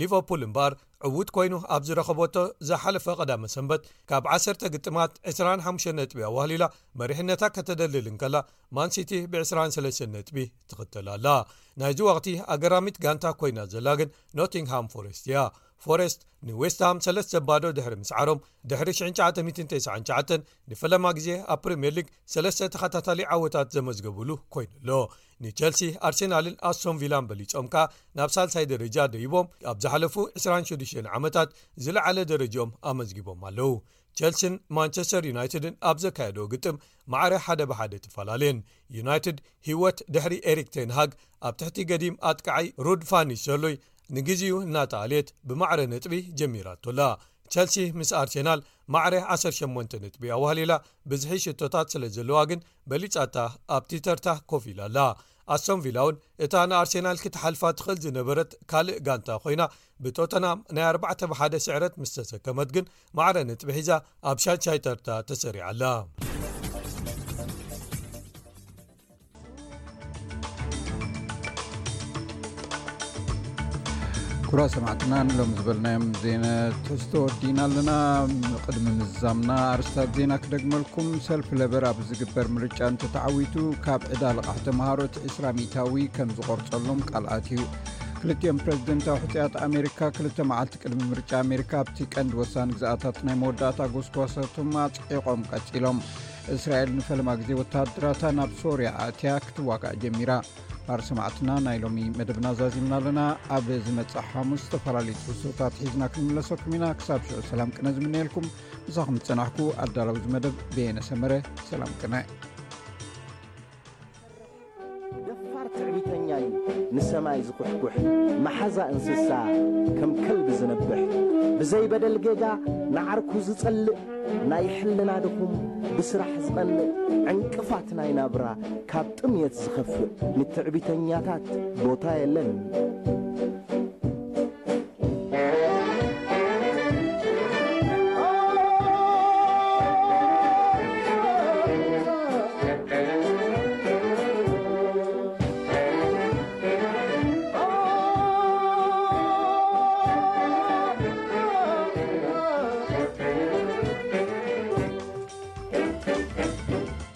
ሊቨርፑል እምበኣር ዕዉት ኮይኑ ኣብ ዝረኸበቶ ዝሓለፈ ቀዳመ ሰንበት ካብ ዓሰርተ ግጥማት ዕስራን ሓሙሽተን ነጥቢ ኣዋህሊላ መሪሕነታ ከተደልል እንከላ፣ ማንሲቲ ብዕስራን ሰለስተን ነጥቢ ትኽተል ኣላ። ናይዚ ወቕቲ ኣገራሚት ጋንታ ኮይና ዘላ ግን ኖቲንግሃም ፎረስት እያ። ፎረስት ንዌስትሃም ሰለስተ ባዶ ድሕሪ ምስዓሮም፣ ድሕሪ ሽሕን ትሽዓተ ሚእትን ተስዓን ትሽዓተን ንፈለማ ግዜ ኣብ ፕሪምየር ሊግ ሰለስተ ተኸታታሊ ዓወታት ዘመዝገብሉ ኮይኑ ኣሎ። ንቸልሲ፣ ኣርሴናልን ኣስቶን ቪላን በሊጾም ከኣ ናብ ሳልሳይ ደረጃ ደይቦም ኣብ ዝሓለፉ ዕስራን ሽዱሽተን ዓመታት ዝለዓለ ደረጃኦም ኣመዝጊቦም ኣለዉ። ቸልሲን ማንቸስተር ዩናይትድን ኣብ ዘካየደኦ ግጥም ማዕረ ሓደ ብሓደ ተፈላለየን። ዩናይትድ ህይወት ድሕሪ ኤሪክ ቴን ሃግ ኣብ ትሕቲ ገዲም ኣጥቃዓይ ሩድ ፋን ኒስተርሎይ ንግዜኡ እናተኣልየት ብማዕረ ነጥቢ ጀሚራቶ ኣላ። ቸልሲ ምስ ኣርሴናል ማዕረ ዓሰርተ ሸሞንተ ነጥቢ ኣዋህሊላ ብዝሒ ሽቶታት ስለ ዘለዋ ግን በሊጻታ ኣብቲ ተርታ ኮፍ ኢላ ኣላ። ኣስቶን ቪላ እውን እታ ንኣርሴናል ክትሓልፋ ትኽእል ዝነበረት ካልእ ጋንታ ኮይና ብቶተናም ናይ ኣርባዕተ ብሓደ ስዕረት ምስ ተሰከመት ግን ማዕረ ነጥቢ ሒዛ ኣብ ሻድሻይ ተርታ ተሰሪዓ ኣላ። ክቡራት ሰማዕትና ንሎም ዝበልናዮም ዜና ትሕዝቶ ወዲና ኣለና። ቅድሚ ምዛምና ኣርስታት ዜና ክደግመልኩም። ሰልፊ ለበር ኣብ ዝግበር ምርጫ እንተተዓዊቱ ካብ ዕዳ ልቓሕ ተምሃሮ እቲ ዕስራ ሚእታዊ ከም ዝቆርጸሎም ቃል ኣትዩ። ክልቲኦም ፕረዚደንታዊ ሕጹያት ኣሜሪካ ክልተ መዓልቲ ቅድሚ ምርጫ ኣሜሪካ ኣብቲ ቀንዲ ወሳኒ ግዝኣታት ናይ መወዳእታ ጎስጓሳቶም ኣጽዒቖም ቀጺሎም። እስራኤል ንፈለማ ግዜ ወተሃደራታ ናብ ሶርያ ኣእትያ ክትዋጋእ ጀሚራ። ባር ሰማዕትና ናይ ሎሚ መደብና ዛዚምና ኣለና። ኣብ ዝመጽእ ሓሙስ ዝተፈላለዩ ትሕዝቶታት ሒዝና ክንምለሰኩም ኢና። ክሳብ ሽዑ ሰላም ቅነ ዝምነየልኩም። ምሳኹም ዝጸናሕኩ ኣዳላዊ እዚ መደብ በየነ ሰመረ። ሰላም ቅነ። ደፋር ትዕቢተኛ እዩ ንሰማይ ዝኩሕኩሕ፣ መሓዛ እንስሳ ከም ከልቢ ዝነብሕ፣ ብዘይ በደል ጌጋ ንዓርኩ ዝጸልእ፣ ናይ ሕልና ድኹም ብስራሕ ዝቐንእ፣ ዕንቅፋት ናይ ናብራ ካብ ጥምየት ዝኸፍእ፣ ንትዕቢተኛታት ቦታ የለን።